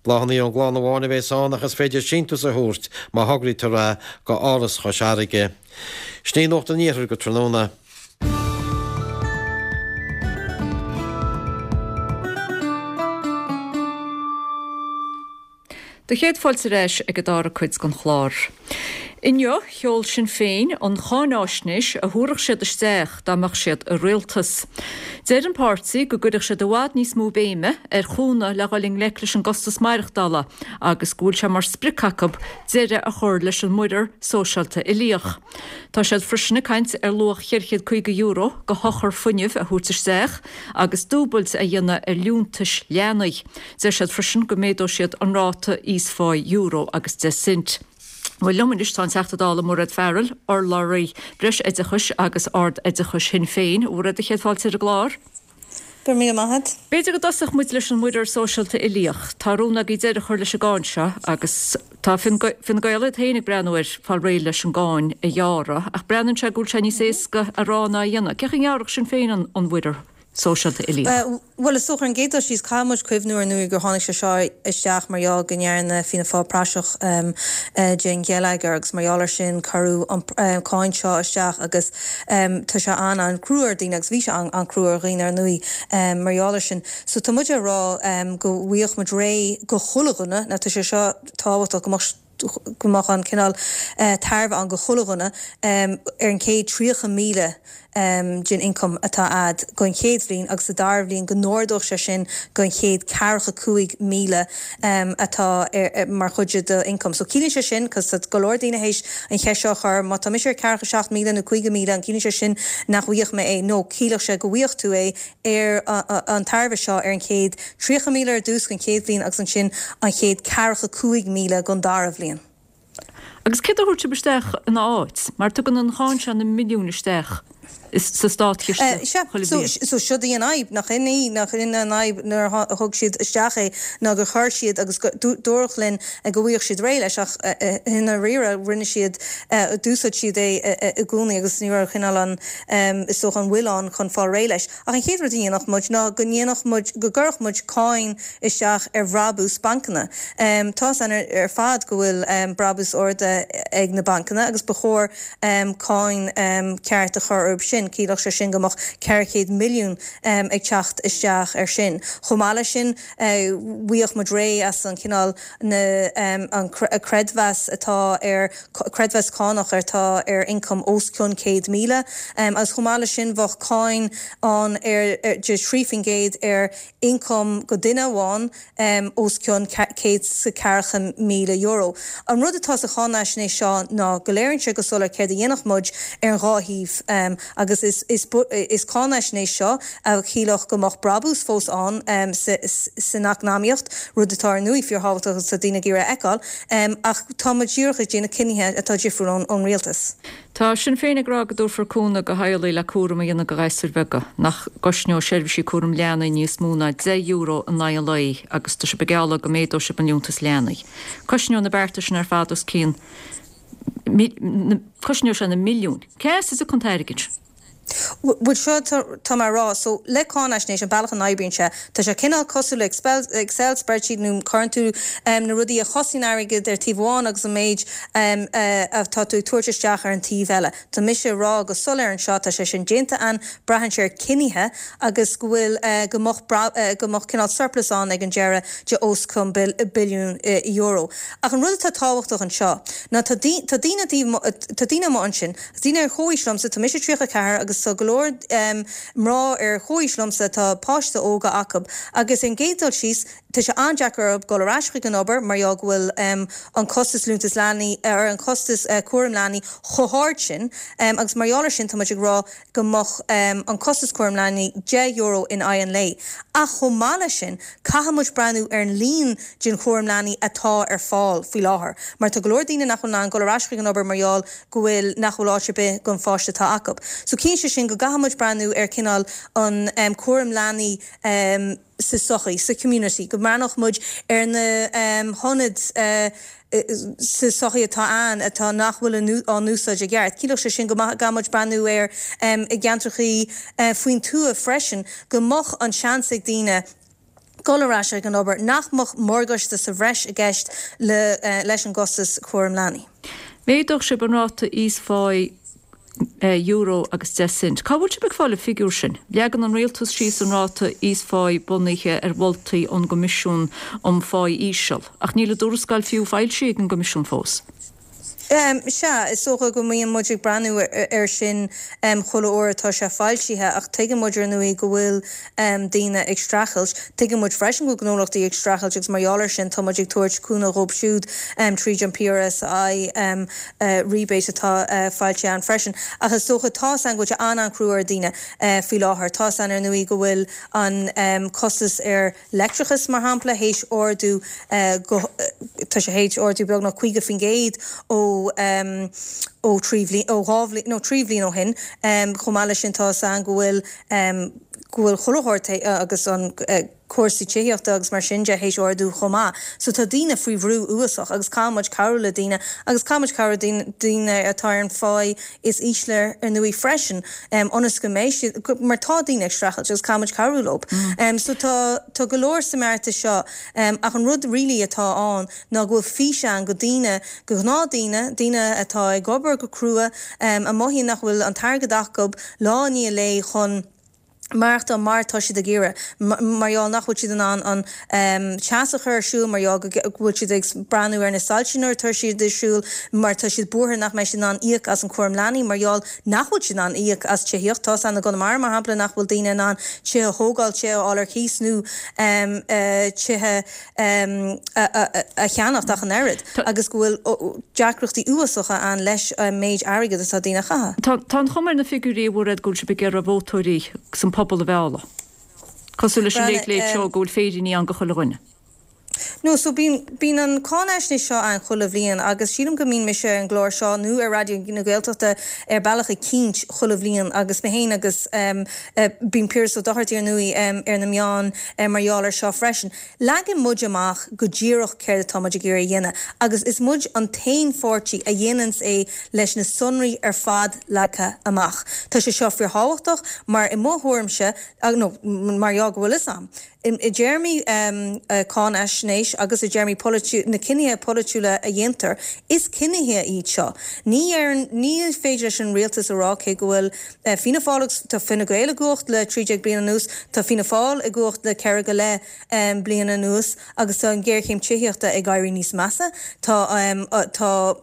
Speaker 13: Bláthanna ón gclann amháin a bhéas ann ach is féidir síntiús a thabhairt má thograítear é go Áras Chois Fharraige. Sin í Nuacht an Iarthair go tráthnóna.
Speaker 1: Do chéad fáilte ar ais ag an dara cuid den chlár. Inniu, sheol Sinn Féin an cháináisnéis a thabharfadh siad isteach dá mbeadh siad i rialtas. Deir an páirtí go gcuirfeadh siad i bhfad níos mó béime ar chúnamh le dhul i ngleic leis an gcostas maireachtála agus go bhfuil sé mar sprioc acu deireadh a chur leis an muirear sóisialta uilíoch. Tá siad freisin ag caint ar luach €450 de shochar fuinnimh a thabhairt isteach agus dúbailt a dhéanamh ar liúntais leanaí. Deir siad freisin go méadóidh siad an ráta íosphá euro agus 10 cent. Bhuel, liom anois tá an Teachta Dála Mairéad Farrell, urlabhraí Breis-Oideachais agus Ard-Oideachais Shinn Féin. A Mhairéad, an chéad fáilte ar an gclár.
Speaker 16: Go raibh míle maith agat.
Speaker 1: B'fhéidir go dtosódh muid leis an muirear sóisialta uilíoch. Tá rún agaibh deireadh a chur leis an gcáin seo agus tá Fine Gael iad féin ag breathnú ar fáil réidh leis an gcáin a ghearradh ach breathnaíonn sé go bhfuil sé níos éasca a rá ná a dhéanamh. Cén chaoi a ngearrfadh Sinn Féin an muirear sóisialta uilíoch?
Speaker 16: Bhuel, is dócha, ar an gcéad dul síos, caithfidh muid cuimhniú ar ndóigh gur tháinig sé seo isteach mar gheall go ndearna Fianna Fáil praiseach den gheilleagar agus mar gheall air sin cuireadh an cáin seo isteach agus tá sé an-an-chrua ar dhaoine agus bhí sé an-chrua ar dhaoine ar ndóigh mar gheall air sin. So tá muid ag rá go bhfaigheadh muid réidh go chuile dhuine, now tá sé seo tábhachtach go mbeadh go mbeadh an cineál tairbhe ann go chuile dhuine ar an chéad 30,000 den ioncam atá a'd don chéad bhliain agus sa dara bhliain go n-ardódh sé sin don chéad ceathracha 5,000 atá mar chuid de do ioncam. So ciallaíonn sé sin, cos tá go leor daoine théis an cheist seo a chur, má tá mise ar ceathracha 7,000 nó 50,000 an ciallaíonn sé sin nach bhfuigheadh mé é? No, ciallódh sé go bhfuigheadh tú é ar an tairbhe seo ar an chéad 30,000 ar dtús don chéad bhliain agus ansin an chéad ceathracha 5,000 don dara bhliain.
Speaker 1: Agus céard a thabharfadh sibh isteach ina áit? Mar tugann an cháin seo na milliúin isteach sa státchiste chuile bhliain.
Speaker 16: So siod í an fhadhb, nach in í, nach in an fhadhb nuair a thug siad isteach é ná gur chuir siad agus dúradh linn go bhfaigheadh siad réidh leis ach i ndáiríre rinne siad, d'úsáid siad é i gcónaí agus ní raibh cineál an is dócha, an bhfuil ann chun fáil réidh leis. Ach an chéad rud a dhéanfadh muid ná go ndéanfadh muid, go gcuirfeadh muid cáin isteach ar bhrabús bancanna. Tá's againn ar fad go bhfuil brabús arda ag na bancanna agus ba chóir cáin ceart a chur orthu sin. Chiallódh sé sin go mbeadh 400 milliún ag teacht isteach ar sin. Chomh maith leis sin, bhfaigheadh muid réidh as an chineál na, an creidmheas atá ar, creidmheas cánach atá ar ioncam os cionn 100,000 agus chomh maith leis sin bheadh cáin ann ar de 3% ar ioncam go duine amháin os cionn €140,000. An rud atá sa cháinaisnéis seo ná go léiríonn sé go soiléir céard a dhéanfadh muid ar an dhá thaobh agus is is cáinaisnéis seo a chiallódh go mbeadh brabús fós ann san eacnamaíocht, rud atá ar ndóigh fíorthábhachtach agus atá daoine ag iarraidh a fheiceáil, ach tá muid díreach ag déanamh cinnithe atá difriúil ón rialtas.
Speaker 1: Tá Sinn Féin ag rá go dtabharfar cúnamh do theaghlaigh le cúram a dhéanamh do ghasúir bheaga, nach gcosnóidh seirbhísí cúram leanaí níos mó ná €10 in aghaidh an lae agus tá sibh ag gealladh go méadóidh sibh an liúntas leanaí. Cosnóidh na bearta sin ar fad os cionn, cosnóidh sé na milliúin. Cá as a dtiocfaidh an t-airgead sin?
Speaker 16: Bhuel, seo tá mé a rá. So, le cáinaisnéis, an bealach a n-oibríonn sé, tá sé cineál cosúil le Excel spreadsheet nó cuireann tú na rudaí a chosnaíonn airgead ar taobh amháin agus an méid atá tú ag tabhairt isteach ar an taobh eile. Tá mise a rá go soiléir anseo, tá sé sin déanta a'inn, braitheann sé ar cinnithe agus go bhfuil, go mbeadh, go mbeadh cineál surplus ann ag an deireadh de os cionn billiún euro. Ach an rud atá tábhachtach anseo ná tá daoine, tá daoine amuigh ansin, Daoine ar chomhaois liomsa, tá mise 34 agus tá go leor mná ar chomhaois liomsa atá páiste óga acu agus ar an gcéad dul síos tá sé an-deacair orthu dul ar ais chuig an obair mar gheall go bhfuil an costas liúntas leanaí ar an costas cúram leanaí chomh hard sin agus mar gheall ar sin tá muid ag rá go mbeadh an costas cúram leanaí €10 in aghaidh an lae. Ach chomh maith leis sin caithfidh muid breathnú ar an líon den chúram leanaí atá ar fáil faoi láthair mar tá go leor daoine nach bhfuil in ann dul ar ais chuig an obair mar gheall go bhfuil, nach bhfuil áit ar bith don pháiste atá acu. So ciallaíonn sé sin go gcaithfidh muid breathnú ar cineál an cúram leanaí sa sochaí, sa community, go mbreathnódh muid ar na hionaid sa sochaí atá ann atá nach bhfuil á n-úsáid i gceart. Ciallódh sé sin go gcaithfidh muid breathnú ar i gceantrachaí faoin tuath freisin, go mbeadh an seans ag daoine, dul ar ais ag an obair, nach mbeadh morgáiste sa bhreis i gceist leis an gcostas cúram leanaí.
Speaker 1: Méadódh sibh an ráta íosphá euro agus 10 cent. Cá bhfuil sibh ag fáil an figiúr sin? Leagann an rialtas síos an ráta íosphá bunaithe ar mholtaí ón gCoimisiún um Phá Íseal, ach níl a dtuarascáil fiú foilsithe ag an gCoimisiún fós.
Speaker 16: Sea, is dócha go mbíonn muid ag breathnú air sin chuile uair atá sé foilsithe ach tuigeann muid ar ndóigh go bhfuil daoine ag streachailt. Tuigeann muid freisin go bhfuil gnólachtaí ag streachailt agus mar gheall air sin tá muid ag tabhairt cúnamh dhóibh siúd tríd an PRSI rebate atá foilsithe ann freisin. Ach is dócha tá 's a'inn go bhfuil sé an-an-chrua ar daoine faoi láthair. Tá 's a'inn ar ndóigh go bhfuil an costas ar leictreachas, mar shampla, théis ardú go, tá sé théis ardú beagnach 50% ó, ó thrí bhliain, ó dhá bhliain, nó trí bhliain ó shin. Chomh maith leis sin tá 'fhios a'inn go bhfuil, go bhfuil chuile shórt agus an cúrsaí tithíochta agus mar sin de théis ardú chomh maith. So tá daoine faoi bhrú uafásach agus caithfidh muid cabhrú le daoine agus caithfidh muid cabhrú le daoine atá ar an pháí is ísle ar ndóigh freisin ionas go mbeidh siad, mar tá daoine ag streachailt agus caithfidh muid cabhrú leo. So tá, tá go leor sa mbeartas seo ach an rud really atá ann ná go bhfuil fís ann go daoine, go ghnáthdaoine, daoine atá ag obair go crua, a mothaíonn nach bhfuil an t-airgead acu lá i ndiaidh lae chun, maireachtáil mar atá siad ag iarraidh, mar gheall nach bhfuil siad in ann an teas a chur ar siúl, mar gheall go bhfuil siad ag breathnú ar na soilse nuair atá siad ag siúl, mar tá siad buartha nach mbeidh siad in ann íoc as an cúram leanaí, mar gheall nach bhfuil siad in ann íoc as tithíocht. Tá's a'inn i gConamara, mar shampla, nach bhfuil daoine in ann tithe a thógáil, tithe a fháil ar cíos nó tithe a cheannacht ach an oiread agus go bhfuil deacrachtaí uafásacha ann leis an méid airgid atá daoine a chaitheamh.
Speaker 1: Tá an chuma ar na figiúirí a Mhairéad go bhfuil sibh ag iarraidh vótóirí agus an pobal a mhealladh. Cosúil leis an Late Late Show go bhfuil féiríní ann go chuile dhuine.
Speaker 16: No, so bíonn, bíonn an cáinaisnéis seo ann chuile bhliain agus sílim go mbíonn mise ar an gclár seo nó ar Raidió na Gaeltachta ar bealach eicínt chuile bhliain agus mé féin agus bíonn Piaras Ó Dochartaigh ar ndóigh ar na meáin mar gheall ar seo freisin. Leagann muid amach go díreach céard atá muid ag iarraidh a dhéanamh agus is muid an t-aon pháirtí a dhéananns é leis na sonraí ar fad leagtha amach. Tá sé seo fíorthábhachtach mar i mo thuairimse, nó mar gheall go bhfuil fhios a'm, i dtéarmaí cáinaisnéis agus i dtéarmaí na cinnithe polaitiúla a dhéantar, is cinnithe iad seo. Ní ní féidir leis an rialtas a rá cé go bhfuil Fianna Fáil agus tá Fine Gael i gcumhacht le 13 bliain anuas, tá Fianna Fáil i gcumhacht le ceithre go leith bliain anuas agus tá an ghéarchéim tithíochta ag éirí níos measa. Tá tá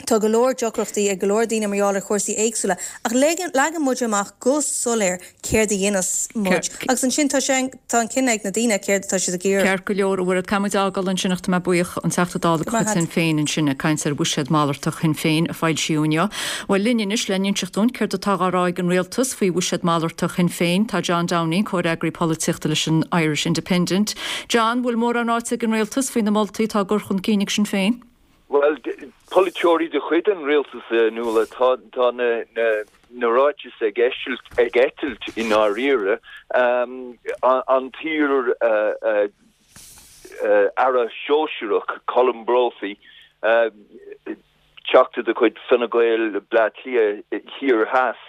Speaker 16: tá go leor deacrachtaí ag go leor daoine mar gheall ar chúrsaí éagsúla ach leagann muid amach go soiléir céard a dhéanfas muid agus ansin tá sé tá an cinneadh ag na daoine céard atá siad ag iarraidh.
Speaker 1: Ceart go leor, a Mhairéad, caithfidh muid fhágáil ansin ach tá mé buíoch an Teachta Dála de chuid Shinn Féin ansin ag caint ar bhuiséad malartach Shinn Féin a foilsíodh inniu. Bhuel, linn anois le n-inseacht dúinn céard atá á rá ag an Rialtas faoi bhuiséad malartach Shinn Féin tá John Downing, comhfhreagraí polaitíochta leis an Irish Independent. John, bhfuil mórán ráite ag an Rialtas faoi na moltaí atá á gcur chun cinn ag Sinn Féin?
Speaker 17: Bhuel, polaiteoirí de chuid an rialtais, a Nuala, tá na ráitis ag eitilt i ndáiríre. An t-iar Aire Sóisearach, Colm Brophy, Teachta de chuid Fine Gael Bleá Cliath Thiar Theas,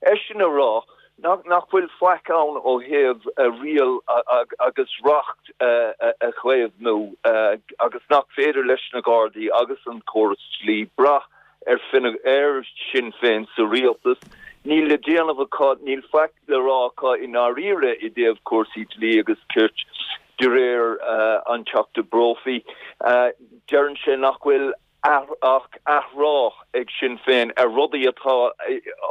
Speaker 17: eisean a rá nach bhfuil faic ann ó thaobh riail agus reacht a chaomhnú agus nach féidir leis na Gardaí agus an córas dlí brath ar ar Sinn Féin sa rialtas. Níl le déanamh acu, níl faic le rá acu i ndáiríre i dtaobh cúrsaí dlí agus cirt de réir an Teachta Brophy. Deireann sé nach bhfuil ach athrá ag Sinn Féin ar rudaí atá,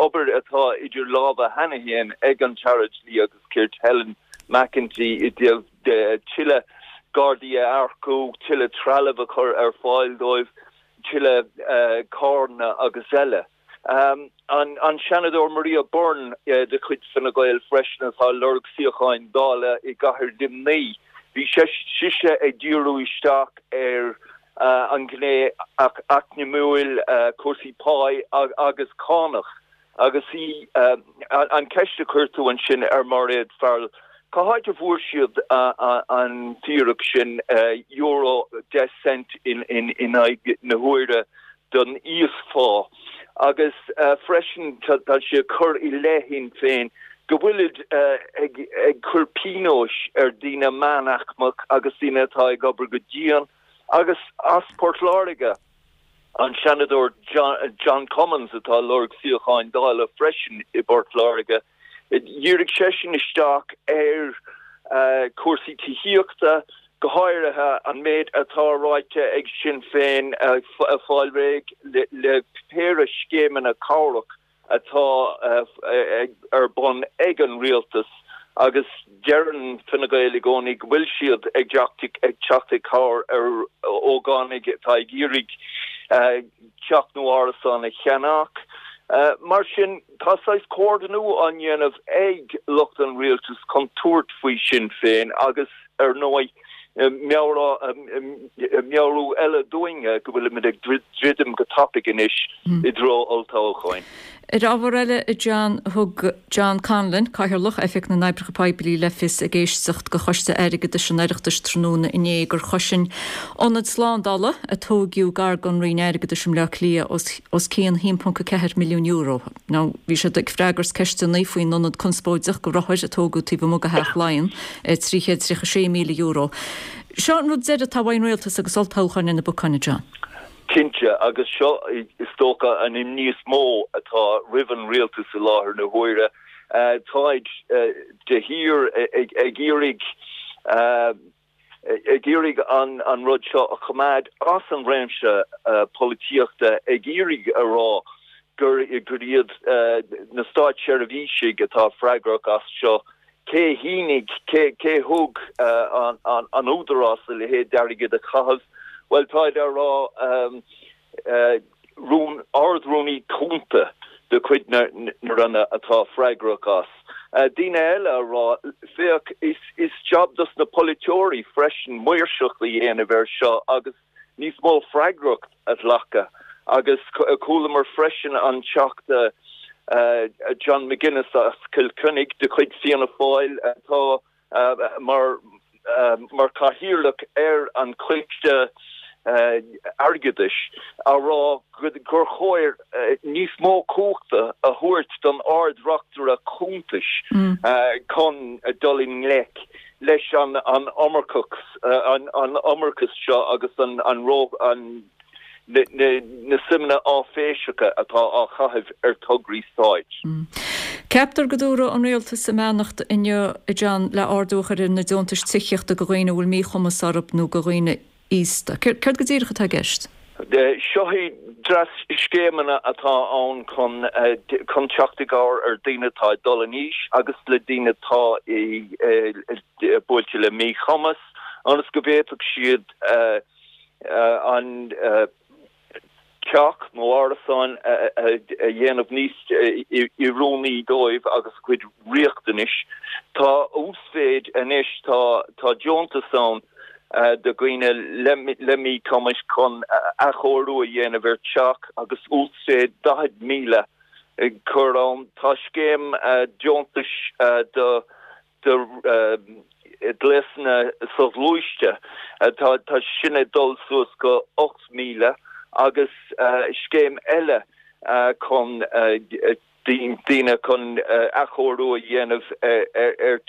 Speaker 17: obair atá idir lámha cheana féin ag an tAire Dlí agus Cirt Helen McEntee i dtaobh tuilleadh Gardaí a earcú, tuilleadh trealaimh a chur ar fáil dóibh, tuilleadh carranna agus eile. An Seanadóir Maria Byrne de chuid Fine Gael freisin atá ag lorg suíocháin Dála i gcathair Luimnigh, bhí sise ag díriú isteach ar an ghné eacnamúil, cúrsaí páí agus cánach. Agus í, an cheist a chuir tú ansin ar Mhairéad Farrell, cá háit a bhfuair siad an fíric sin, euro 10 cent in aghaidh na huaire don íosphá? Agus freisin tá sí ag cur i leith Shinn Féin go bhfuilid ag cur pionóis ar daoine meánaicmeach agus daoine atá ag obair go dian agus as Port Láirge, an Seanadóir John Cummins atá ag lorg suíocháin Dála freisin i bPort Láirge, dhírigh seisean isteach ar chúrsaí tithíochta. Go háirithe an méid atá ráite ag Sinn Féin ag fáil réidh le péire scéimeanna cabhrach atá ar bun ag an rialtas agus deireann Fine Gael i gcónaí go bhfuil siad ag teacht i gcabhair ar ógánaigh atá ag iarraidh teach nó árasán a cheannach. Mar sin, tá saghas comhordnú á ndéanamh ag lucht an rialtais chun tabhairt faoi Sinn Féin agus, ar ndóigh, meabhrú eile dúinne go bhfuilimid ag druidim go tapaidh anois i dtreo olltoghcháin.
Speaker 1: Ar ábhar eile, a John, thug John Conlon, Cathaoirleach Oifig na nOibreacha Poiblí le fios ag éisteacht do Choiste Airgeadais an Oireachtais tráthnóna inné gur chosain ionad slándála a tóigeadh gar don Roinn Airgeadais i mBleá Cliath os cionn €1.4 milliún. Now, bhí sé ag freagairt ceisteanna faoin ionad conspóideach do rothair a tógadh taobh amuigh de Theach Laighean, €336,000. Seo an rud deiridh atá uaidh an Rialtas agus olltoghchán ar na bacáin, a John.
Speaker 17: Cinnte, agus seo is dócha an imní is mó atá roimh an rialtas i láthair na huaire. Táid de shíor ag iarraidh ag iarraidh an rud seo a choimeád as an réimse polaitíochta, ag iarraidh a rá gur iad na státseirbhísigh atá freagrach as seo. Cé shínigh, cé cé thug an údarás a leithéid d'airgead a chaitheamh? Bhuel, táid á rá, rún, Ard-Rúnaí Cúnta de chuid na Roinne atá freagrach as. Daoine eile á rá, féach, is jab dos na polaiteoirí freisin maoirseacht a dhéanamh air seo agus níos mó freagracht a ghlacadh agus chualamar freisin an Teachta John McGuinness as Cill Chainnigh de chuid Fianna Fáil atá mar mar chathaoirleach ar an Choiste Airgeadais á rá gur chóir níos mó cumhachta a thabhairt don Ard-Reachtaire Cuntais chun dul i ngleic leis an iomarcachas, an iomarcas seo agus an an na suimeanna áiféiseacha atá á chaitheamh ar tograí stáit.
Speaker 1: Ceaptar go dtabharfaidh an Rialtas a mbeannacht inniu, a John, le ardú a chur ar na deontais tithíochta do dhaoine a bhfuil míchumas orthu nó do dhaoine aosta. Céard go díreach atá i gceist?
Speaker 17: Seo iad dreas scéimeanna atá ann chun chun teacht i gcabhair ar daoine atá ag dul in aois agus le daoine atá buailte le míchumas ionas go bhféadfadh siad an teach nó árasán a dhéanamh níos oiriúnaí dóibh agus a gcuid riachtanais. Tá uasmhéid anois, tá deontas ann do dhaoine le míchumais chun athchóiriú a dhéanamh ar teach agus uasmhéid 40,000 curtha ann. Tá scéim deontais do do ghléasanna soghluaiste, tá sin ag dul suas go 8,000 agus scéim eile chun daoine chun athchóiriú a dhéanamh ar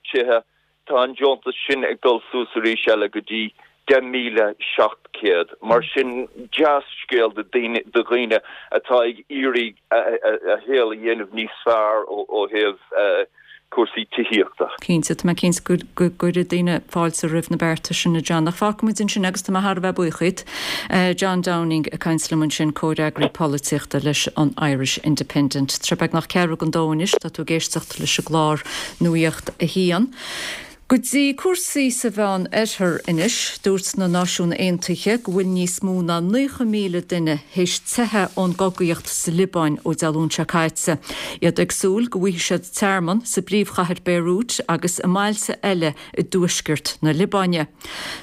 Speaker 17: tithe, tá an deontas sin ag dul suas arís eile go dtí 10,700. Mar sin, dea-scéal do dhaoine atá ag iarraidh a shaol a dhéanamh níos fearr ó thaobh cúrsaí tithíochta.
Speaker 1: Cinnte, tá mé cinnte go gcuirfidh daoine fáilte roimh na bearta sin, a John. Ach fágfaidh muid ansin agus tá mé thar a bheith buíoch díot. John Downing ag caint liom ansin, comhfhreagraí polaitíochta leis an Irish Independent. Tá sé beagnach ceathrú don dó anois, tá tú ag éisteacht leis an gclár Nuacht a hAon. Go dtí cúrsaí sa Mheán Oirthear anois. Dúirt na Náisiúin Aontaithe go bhfuil níos mó ná 90,000 duine théis teitheadh ón gcogaíocht sa Liobáin ó Dé Luain seo caite. Iad ag súil go bhfaighidh siad tearmann sa bpríomhchathair Beirut agus i mbailte eile i dtuaisceart na Liobáine.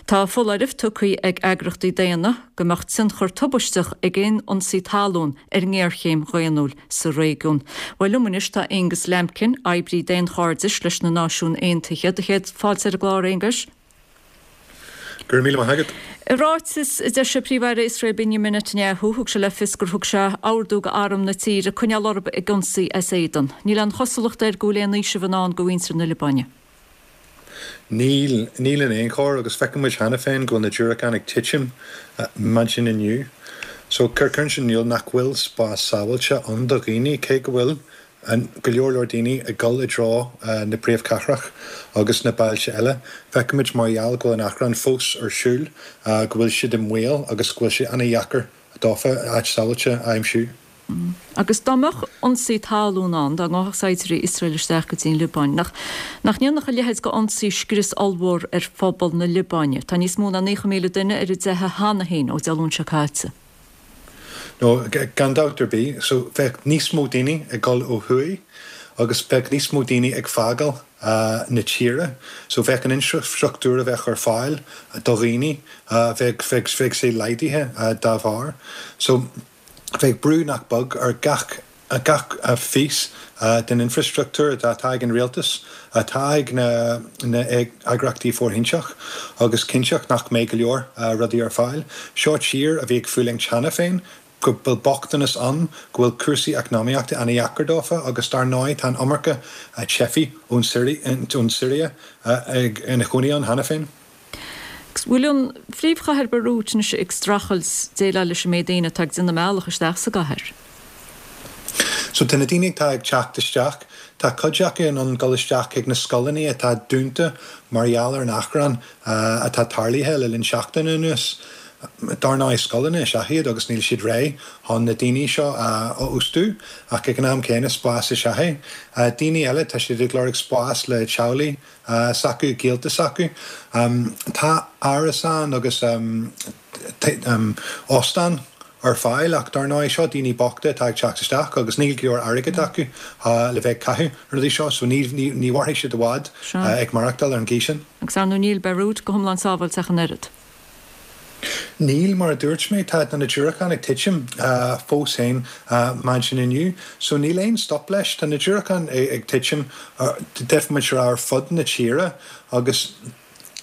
Speaker 1: Tá foláireamh tugtha ag eagraíochtaí daonna go mbeadh tionchar tubaisteach ag aon ionsaí talún ar an ngéarchéim dhaonnúil sa réigiún. Bhuel, liom anois tá Aonghus Lambkin, oibrí daonchairdis leis na Náisiúin Aontaithe. Do chéad fáilte ar an gclár, Aonghus.
Speaker 18: Go raibh míle maith agat.
Speaker 1: I ráiteas a d'eisigh Príomh-Aire Iosrael Benjamin Netanyahu, thug sé le fios gur thug sé ordú do arm na tíre coinneáil orthu ag ionsaí as éadan. Níl aon chosúlacht air go bhfuil aon fhaoiseamh i ndán do mhuintir na Liobáine.
Speaker 18: Níl, níl in aon chor, agus feiceann muid cheana féin go bhfuil na diúracáin ag titim maidin inniu. So, cuireann sin in iúl nach bhfuil spás sábháilte ann do dhaoine, cé go bhfuil. Go leor leor daoine ag dul i dtreo na príomhchathrach agus na bailte eile. Feicimid mar gheall go bhfuil an achrann fós ar siúl go bhfuil siad i mbaol agus go bhfuil sé ana-dheacair dófa áit sábháilte a aimsiú.
Speaker 1: Agus dá mbeadh ionsaí talún ann, dá ngabhfadh saighdiúirí Iosrael isteach go dtí an Liobáin, nach nach ndéanfadh a leithéid d'ionsaí scrios ollmhór ar phobal na Liobáine? Tá níos mó ná 90,000 duine ar a dteitheadh cheana féin ó Dé Luain seo caite.
Speaker 18: No, gan dabht ar bith. So, bheadh níos mó daoine ag dul ó thuaidh agus bheadh níos mó daoine ag fágáil na tíre. So, bheadh an infreastruchtúr a bheadh ar fáil do dhaoine, bheadh, bheadh, bheadh sé laghdaithe dá bharr. So, bheadh brú nach beag ar gach gach phíosa den infreastruchtúr atá ag an rialtas, atá ag na heagraíochtaí fóirithinte agus cinnteacht nach mbeidh go leor rudaí ar fáil. Seo tír a bhí ag fulaingt cheana féin, go bhfuil bochtanas ann, go bhfuil cúrsaí eacnamaíochta ana-dheacair dófa agus dar ndóigh tá an iomarca teifigh ón Siria ina chónaí ann cheana féin.
Speaker 1: Agus bhfuil an phríomhchathair Beirut anois ag streachailt déileáil leis an méid daoine atá ag déanamh a mbealach isteach sa gcathair?
Speaker 18: So tá na daoine atá ag teacht isteach, tá cuid acu in ann dul isteach chuig na scoileanna atá dúnta mar gheall ar an achrann atá tarlaithe le linn seachtaine anuas. Dar ndóigh scoileanna is ea iad agus níl siad réidh chun na daoine seo a óstú ach ag an am céanna spás is ea é. Daoine eile tá siad ag lorg spás le teaghlaigh s'acu, gaolta s'acu. Tá árasáin agus óstáin ar fáil ach dar ndóigh seo daoine bochta atá ag teacht isteach agus níl go leor airgid acu le bheith ag caitheamh ar na rudaí seo so ní mhairfidh siad i bhfad ag maireachtáil ar an gcaoi sin.
Speaker 1: Agus ar ndóigh níl Beirut go hiomlán sábháilte ach an oiread.
Speaker 18: Níl, mar a dúirt mé, tá na diúracáin ag titim fós féin maidin inniu, so níl aon stop leis. Tá na diúracáin ag titim, d'fhéadfadh muid a rá, ar fud na tíre agus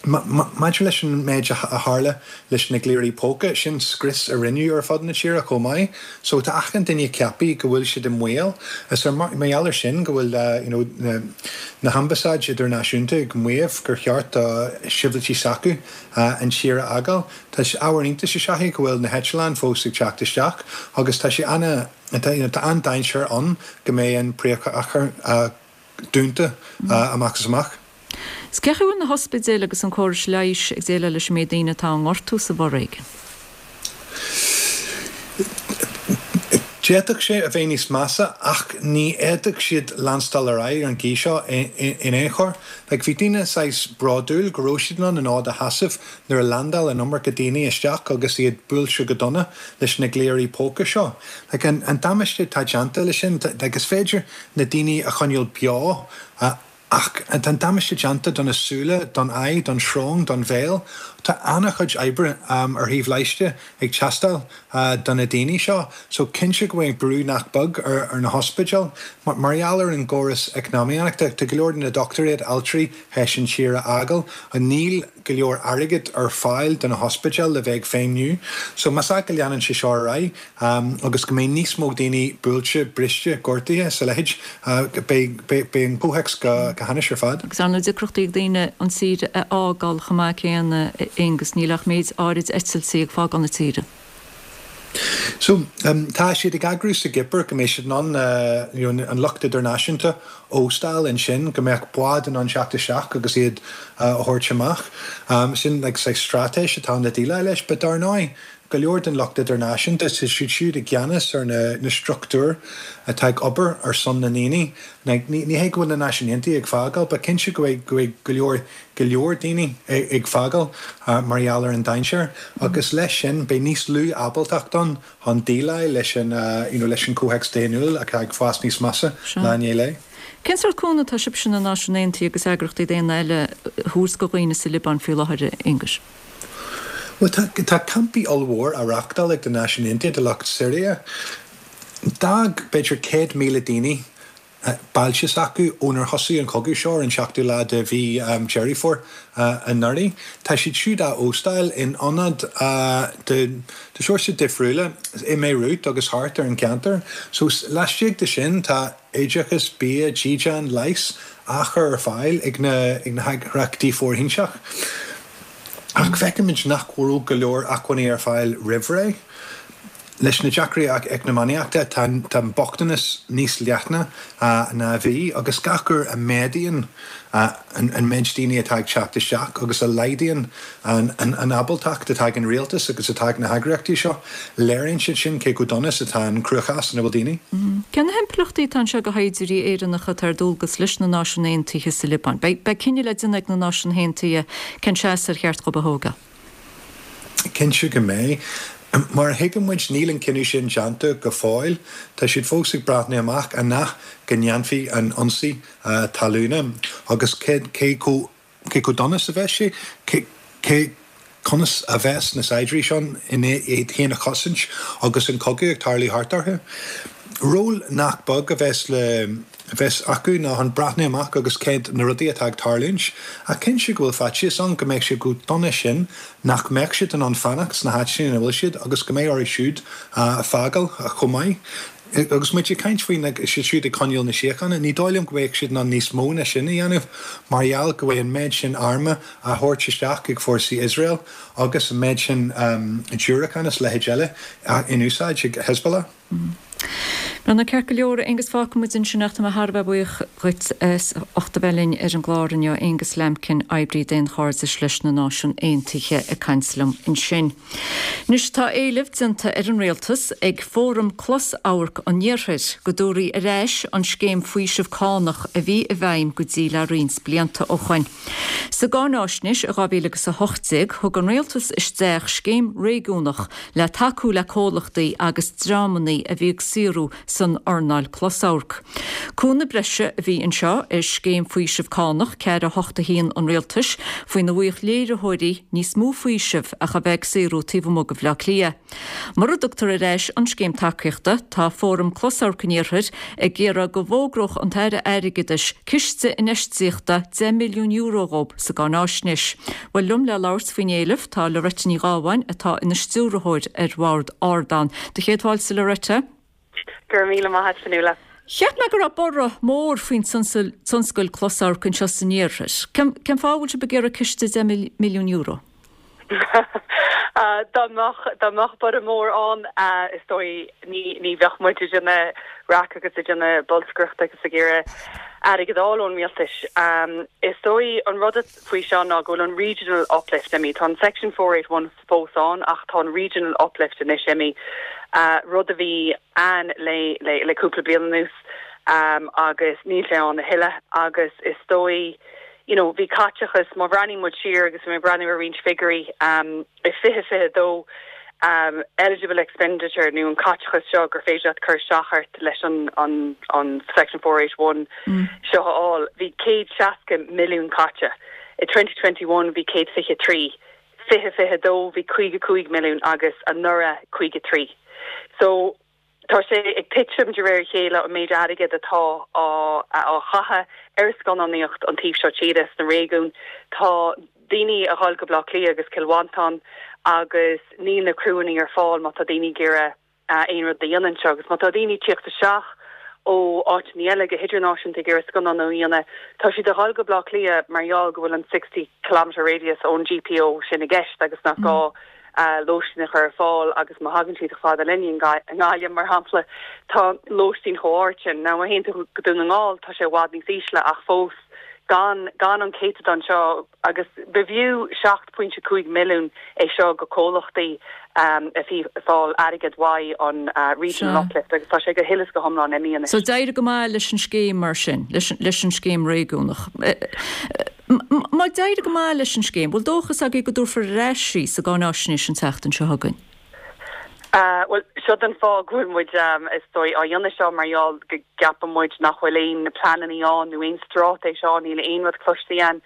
Speaker 18: maidir leis an méid a tharla leis na gliairí póca, sin scrios a rinneadh ar fud na tíre chomh maith. So tá achan duine ceaptha go bhfuil siad i mbaol. Is ar mar gheall ar sin go bhfuil you know na hambasáid idirnáisiúnta ag maíomh gur cheart do shibhialtaigh s'acu an tír a fhágáil. Tá sé ábhar iontais is ea é go bhfuil na heitleáin fós ag teacht isteach agus tá sé ana, tá an-dainséar ann go mbeidh an príomhchathair dúnta amach is amach.
Speaker 1: Is cén chaoi a bhfuil na hospidéil agus an córais leighis ag déileáil leis an méid daoine atá á ngortú sa bhforéigean?
Speaker 18: D'fhéadfadh sé a bheith níos measa ach ní fhéadfadh siad leanstáil ar aghaidh ar an gcaoi seo in aon chor. Like, bhí daoine saghas bródúil go raibh siad in ann an fhód a sheasamh nuair a landáil an iomarca daoine isteach agus iad buailte go dona leis na gliairí póca seo. Like, an damáiste atá déanta leis sin, like, is féidir na daoine a choinneáil beo Ach tá an damáiste déanta do na súile, don aghaidh, don srón, don bhéal. Tá an-chuid oibre ar thaobh leighiste ag teastáil do na daoine seo. So cinnte go mbeidh brú nach beag ar na hospidéil. Mar gheall ar an gcóras eacnamaíochta, tá go leor de na dochtúirí, altraí théis an tír a fhágáil. Níl go leor airgid ar fáil do na hospidéil le bheith ag feidhmiú. So más ea go leanann sé seo ar aghaidh, agus go mbeidh níos mó daoine buailte, briste, gortaithe is a leithéid, beidh an comhthéacs go hainnis ar fad.
Speaker 1: Agus ar ndóigh deacrachtaí ag daoine an tír a fhágáil chomh maith céanna, Aengus, níl ach méid áirid eitiltí ag fágáil na tíre.
Speaker 18: So, tá siad ag eagrú sa gCipir go mbeidh siad in ann you know an lucht idirnáisiúnta a óstáil ansin, go mbeadh bád in ann teacht isteach agus iad a thabhairt amach. Sin like saghas straitéis atá ann le déileáil leis, but dar ndóigh, Go leor den lucht idirnáisiúnta, tá siad siúd i gceannas ar na struchtúir atá ag obair ar son na ndaoine. Ní hé go bhfuil na Náisiúin Aontaithe ag fágáil, but cinnte go bhfuil go leor, go leor daoine ag fágáil mar gheall ar an dainséar. Agus leis sin, beidh níos lú ábaltacht ann chun déileáil leis an, you know, leis an comhthéacs daonnúil atá ag fás níos measa lá i ndiaidh lae.
Speaker 1: Cén sórt cúnamh atá sibhse, na Náisiúin Aontaithe agus eagraíochtaí daonna eile, a thabhairt do dhaoine sa Liobáin faoi láthair, a Aonghuis?
Speaker 18: Bhuel, tá, tá campaí ollmhór á reachtáil ag na Náisiúin Aontaithe do lucht Siria. D'fhág b'fhéidir 100,000 daoine bailte s'acu ónar thosaigh an cogadh seo ar an seachtú lá de mhí Deireadh Fómhair anuraidh. Tá siad siúd á óstáil in ionaid de de shórsa difriúla i mBeirut agus thart ar an gceantar. So laistigh de sin tá oideachas, bia, dídean, leigheas á chur ar fáil ag na ag na heagraíochtaí fóirithinte. Ach feicimid nach raibh go leor acmhainní ar fáil roimh ré. Leis na deacrachtaí eacnamaíochta, tá an bochtanas níos leithne ná a bhí, agus gach uair a méadaíonn an méid daoine atá ag teacht isteach agus a laghdaíonn an ábaltacht atá ag an rialtas agus atá ag na heagraíochtaí seo, léiríonn siad sin cé chomh dona is atá an cruachás ina bhfuil daoine.
Speaker 1: Cé na himpleachtaí atá anseo do shaighdiúirí Éireannacha atá ar dualgas leis na Náisiúin Aontaithe sa Liobáin? Beidh cinneadh le déanamh ag na Náisiúin Aontaithe cén seasamh ar cheart dhóibh a thógáil.
Speaker 18: Cinnte go mbeidh. Mar a thuigeann muid, níl an cinneadh sin déanta go fóill. Tá siad fós ag breathnú amach an ea go ndéanfaí an ionsaí talúna agus cé chomh cé chomh dona is a bheas sé, cé conas a bheas na saighdiúirí seo in ann iad féin a chosaint agus an cogadh ag tarlú thart orthu. Ról nach beag a bheas le a bheas acu ná chun breathnú amach agus céard na rudaí atá ag tarlúint. Ach cinnte go bhfuil faitíos ann go mbeidh sé chomh dona sin nach mbeadh siad in ann fanacht sna háiteanna ina bhfuil siad agus go mbeidh orthu siúd fágáil chomh maith. Agus muid ag caint faoi na siad siúd ag coinneáil na síochána, ní dóigh liom go mbeadh siad in ann níos mó ná sin a dhéanamh mar gheall go bhfuil an méid sin arma á thabhairt isteach ag fórsaí Iosrael agus an méid sin diúracán is leithéid eile in úsáid ag Hezbollah.
Speaker 1: Bhuel, ceart go leor, a Aonghus, fágfaidh muid ansin ach tá mé thar a bheith buíoch dhuit as ucht a bheith linn ar an gclár inniu. Aonghus Lambkin, oibrí daonchairdis leis na Náisiúin Aontaithe ag caint liom ansin. Anois tá éileamh déanta ar an Rialtas ag Fóram Closamhairc an Iarthair go dtabharfaí ar ais an scéim faoiseamh cánach a bhí i bhfeidhm go dtí le roinnt blianta ó shoin. Sa gcáináisnéis i 2018 thug an Rialtas isteach scéim réigiúnach le tacú le comhlachtaí agus dreamanna a bhí ag saothrú san earnáil closamhairc. Cúnamh breise a bhí anseo ar scéim faoisimh cánach 4 8 1 an Rialtais faoina bhfaigheadh léiritheoirí níos mó faoisimh ach a bheith ag saothrú taobh amuigh de Bhaile Átha Cliath. Mura dtugtar ar ais an scéim tacaíochta, tá Fóram Closamhairc an Iarthair ag iarraidh go bhfógródh an tAire Airgeadais ciste infheistíochta €10 milliún dhóibh sa gcáináisnéis. Bhuel, liom le labhairt faoin éileamh tá Loretta Ní Ghábháin atá ina stiúrthóir ar bhord Ardán. Do chéad fáilte Loretta.
Speaker 19: Go raibh míle maith a't Fionnuala.
Speaker 1: Cheap mé go raibh borradh mór faoin tionscal closamhairc anseo san iarthar. Cén fáth a bhfuil sibh ag iarraidh ciste €10 milliún?
Speaker 19: Dá mbeadh, dá mbeadh borradh mór ann, is dóigh, ní, ní bheadh muid ag déanamh raic agus ag déanamh bolscaireachta agus ag iarraidh airgead a fháil ón rialtas. Is dóigh an rud faoi seo ná go bhfuil an regional uplift imithe. Tá an Section 481 fós ann ach tá an regional uplift anois imithe, rud a bhí ann le, le, le cúpla bliain anuas agus níl sé ann a thuilleadh agus is dóigh, you know, bhí caiteachas, má bhreathnaíonn muid siar agus bhí mé ag breathnú ar roinnt figiúirí, i 2022, eligible expenditure nó an caiteachas seo gur féidir leat cur isteach ort leis an, an, an Section 481 seo a fháil, bhí 160 milliún caite. I 2021 bhí 123, 2022 bhí 55 milliún agus anuraidh 53. So, Tá sé ag titim de réir a chéile an méid airgid atá á chaitheamh ar scannánaíocht an taobh seo tíre sna réigiúin. Tá daoine a dhul go Baile Átha Cliath agus Cill Mhantáin agus níl na criúanna ar fáil má tá daoine ag iarraidh aon rud a dhéanamh anseo. Agus má tá daoine ag tíocht isteach ó áiteanna eile go hidirnáisiúnta ag iarraidh scannánú a dhéanamh, tá siad a dhul go Baile Átha Cliath mar gheall go bhfuil an 60 kilometre radius ón GPO sin i gceist agus nach gá lóistín a chur ar fáil agus má thagann siad chomh fada linn i nGaillimh, mar shampla, tá lóistín chomh hard sin. Now, má théann tú go Dún na nGall, tá sé i bhfad níos ísle ach fós gan gan an céatadán seo agus b'fhiú 7.5 milliún é seo go comhlachtaí a bhí ag fáil airgead uaidh an Regional Uplift agus tá sé go huile is go hiomlán imithe anois.
Speaker 1: So d'éirigh go maith leis an scéim mar sin, leis an scéim réigiúnach. Má d'éirigh go maith leis an scéim, bhfuil dóchas agaibh go dtabharfar ar ais í sa gcáináisnéis an tseachtain seo chugainn?
Speaker 19: Bhuel, seo an fáth go bhfuil muid, is dóigh, á dhéanamh seo mar gheall go gceapann muid nach bhfuil aon pleananna ann nó aon straitéis ann, níl aon rud cloiste againn.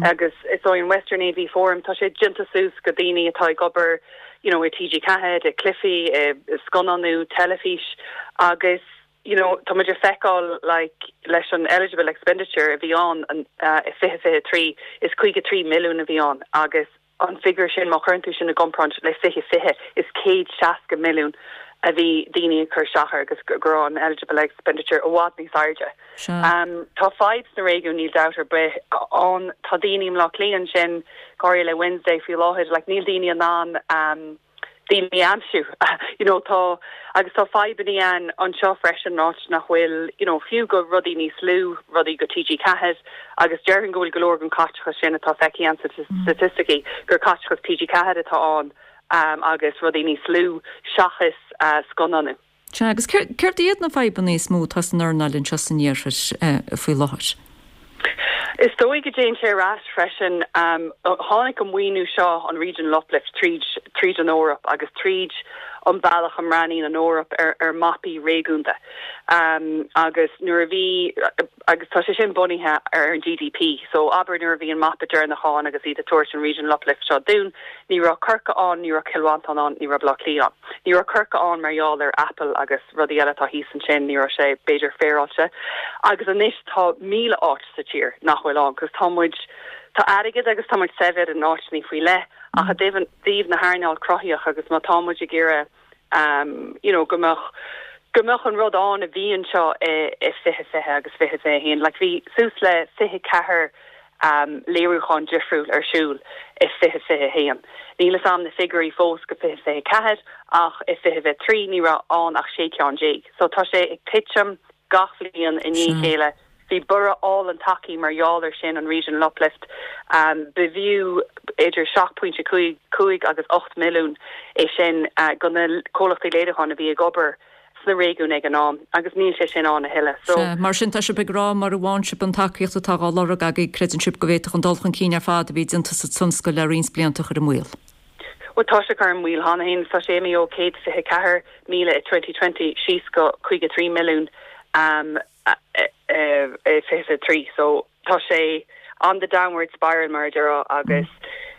Speaker 19: Agus is dóigh an Western AV Forum, tá sé déanta suas go daoine atá ag obair you know i TG4, i cluichí, i scannánú, teilifís agus, you know, tá muid ag feiceáil like leis an eligible expenditure a bhí ann i 2023, is 53 milliún a bhí ann agus an figiúr sin, má chuireann tú sin i gcomparáid le 2020, is 160 milliún a bhí daoine ag cur isteach air agus go raibh an eligible expenditure i bhfad níos airde. Tá fadhb sna réigiúin, níl dabht ar bith ann. Tá daoine i mBleá Cliath ansin, go háirithe le Wednesday faoi láthair, like níl daoine in ann. daoine a aimsiú. You know tá, agus tá fadhbannaí ann anseo freisin áit nach bhfuil, you know, fiú go rudaí níos lú, rudaí go TG4 agus déarfainn go bhfuil go leor den caiteachas sin atá feicthe ann sna staitisticí gur caiteachas TG4 atá ann agus rudaí níos lú seachas scannánú.
Speaker 1: Sea, agus céard iad na fadhbanna is mó atá san earnáil anseo san iarthar faoi láthair?
Speaker 19: Is dóigh go dtéann sé ar ais freisin. Tháinig an maoiniú seo, an Regional Uplift, tríd tríd an Eoraip agus tríd an bealach a mbreathnaíonn an Eoraip ar ar mapaí réigiúnda. Agus nuair a bhí, agus tá sé sin bunaithe ar an GDP, so abair nuair a bhí an mapa deireanach ann agus iad ag tabhairt an Regional Uplift seo dúinn, ní raibh Corcaigh ann, ní raibh Cill Mhantáin ann, ní raibh Baile Átha Cliath ann. Ní raibh Corcaigh ann mar gheall ar Apple agus rudaí eile atá thíos ansin, ní raibh sé b'fhéidir féaráilte. Agus anois tá 1,000 áit sa tír nach bhfuil ann, cos tá muid, tá airgead agus tá muid saibhir in áiteanna faoi leith ach i dtaobh na hearnáil cruthaitheach agus má tá muid ag iarraidh you know go mbeadh, go mbeadh an rud ann a bhí anseo i 2020 agus 2021, like bhí suas le 24 léiriúchán difriúil ar siúl i 2021. Níl fhios a'm na figiúirí fós go 2024 ach i 2023 ní raibh ann ach 16 ceann. So tá sé ag titim gach bhliain i ndiaidh a chéile. Bhí borradh álainn tagtha mar gheall ar sin, an Regional Uplift. B'fhiú idir 7.5 agus 8 milliún é sin go na comhlachtaí léiriúcháin a bhí ag obair sna réigiúin ag an am agus níl sé sin ann a thuilleadh. So.
Speaker 1: Sea, mar sin tá sibh ag rá mura bhfaigheann sibh an tacaíocht atá dhá lorg agaibh, creideann sibh go bhféadfadh an dul chun cinn ar fad a bhí déanta sa tionscal le roinnt blianta a chur i mbaol.
Speaker 19: Bhuel tá sé curtha i mbaol cheana féin, tá sé imithe ó 124,000 i 2020 síos go 53 milliún i 23. So tá sé on the downward spiral mar a déarfá agus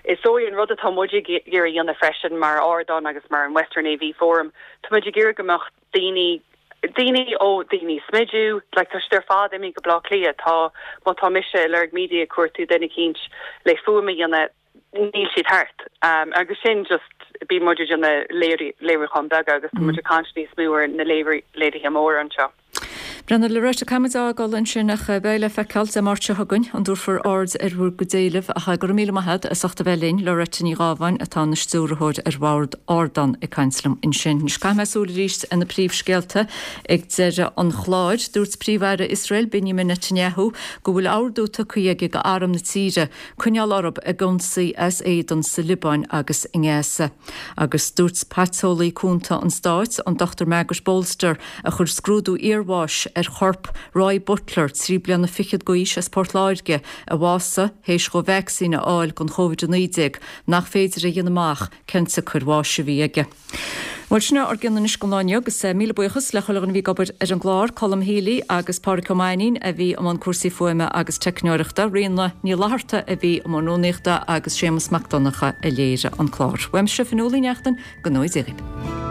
Speaker 19: is dóigh an rud atá muid ag iarraidh a dhéanamh freisin mar ardán agus mar an Western AV Forum, tá muid ag iarraidh go mbeadh daoine, daoine ó daoine smidiú, like tá siad ar fad imithe go Baile Átha Cliath, tá, má tá mise i Lorg Media ag cuartú duine eicínt le fuaim a dhéanamh, níl siad thart. Agus sin just, bíonn muid ag déanamh léiriúcháin beaga agus tá muid ag caint níos mó ar na léirithe móra anseo.
Speaker 1: Brenna, Loretta, caithfidh muid a fhágáil ansin ach beidh le feiceáil Dé Máirt seo chugainn an dtabharfar aird ar bhur gcuid éileamh ach go raibh míle maith agat as ucht a bheith linn, Loretta Ní Ghábháin atá ina stiúrthóir ar bhord Ardán ag caint liom ansin. Anois caithfidh mé súil arís ar na príomhscéalta ag deireadh an chláir. Dúirt Príomh-Aire Iosrael Benjamin Netanyahu go bhfuil ordú tugtha aige go arm na tíre coinneáil orthu ag ionsaí as éadan sa Liobáin agus i nGaza. Agus dúirt paiteolaí cúnta an stáit, an Dr Margaret Bolster, a chuir scrúdú iarbháis ar chorp Roy Butler, 3 bliana fichead d'aois as Port Láirge, a bhásaigh théis dhó vacsaín a fháil don Covid-19, nach féidir a dhéanamh amach cén tsiocair bháis a bhí aige. Bhuel, sin é ár gcion anois don lá inniu agus míle buíochas le chuile dhuine a bhí ag obair ar an gclár, Colm Healy agus Pádraic Ó Mainnín a bhí i mbun cúrsaí fuaime agus teicneoireachta, Ríona Ní Fhlatharta a bhí i mbun rúnaíochta agus Séamus Mac Donncha a léirigh an clár. Uaimse, Fionnuala Ní Neachtain, go ngnóthaí Dia dhaoibh.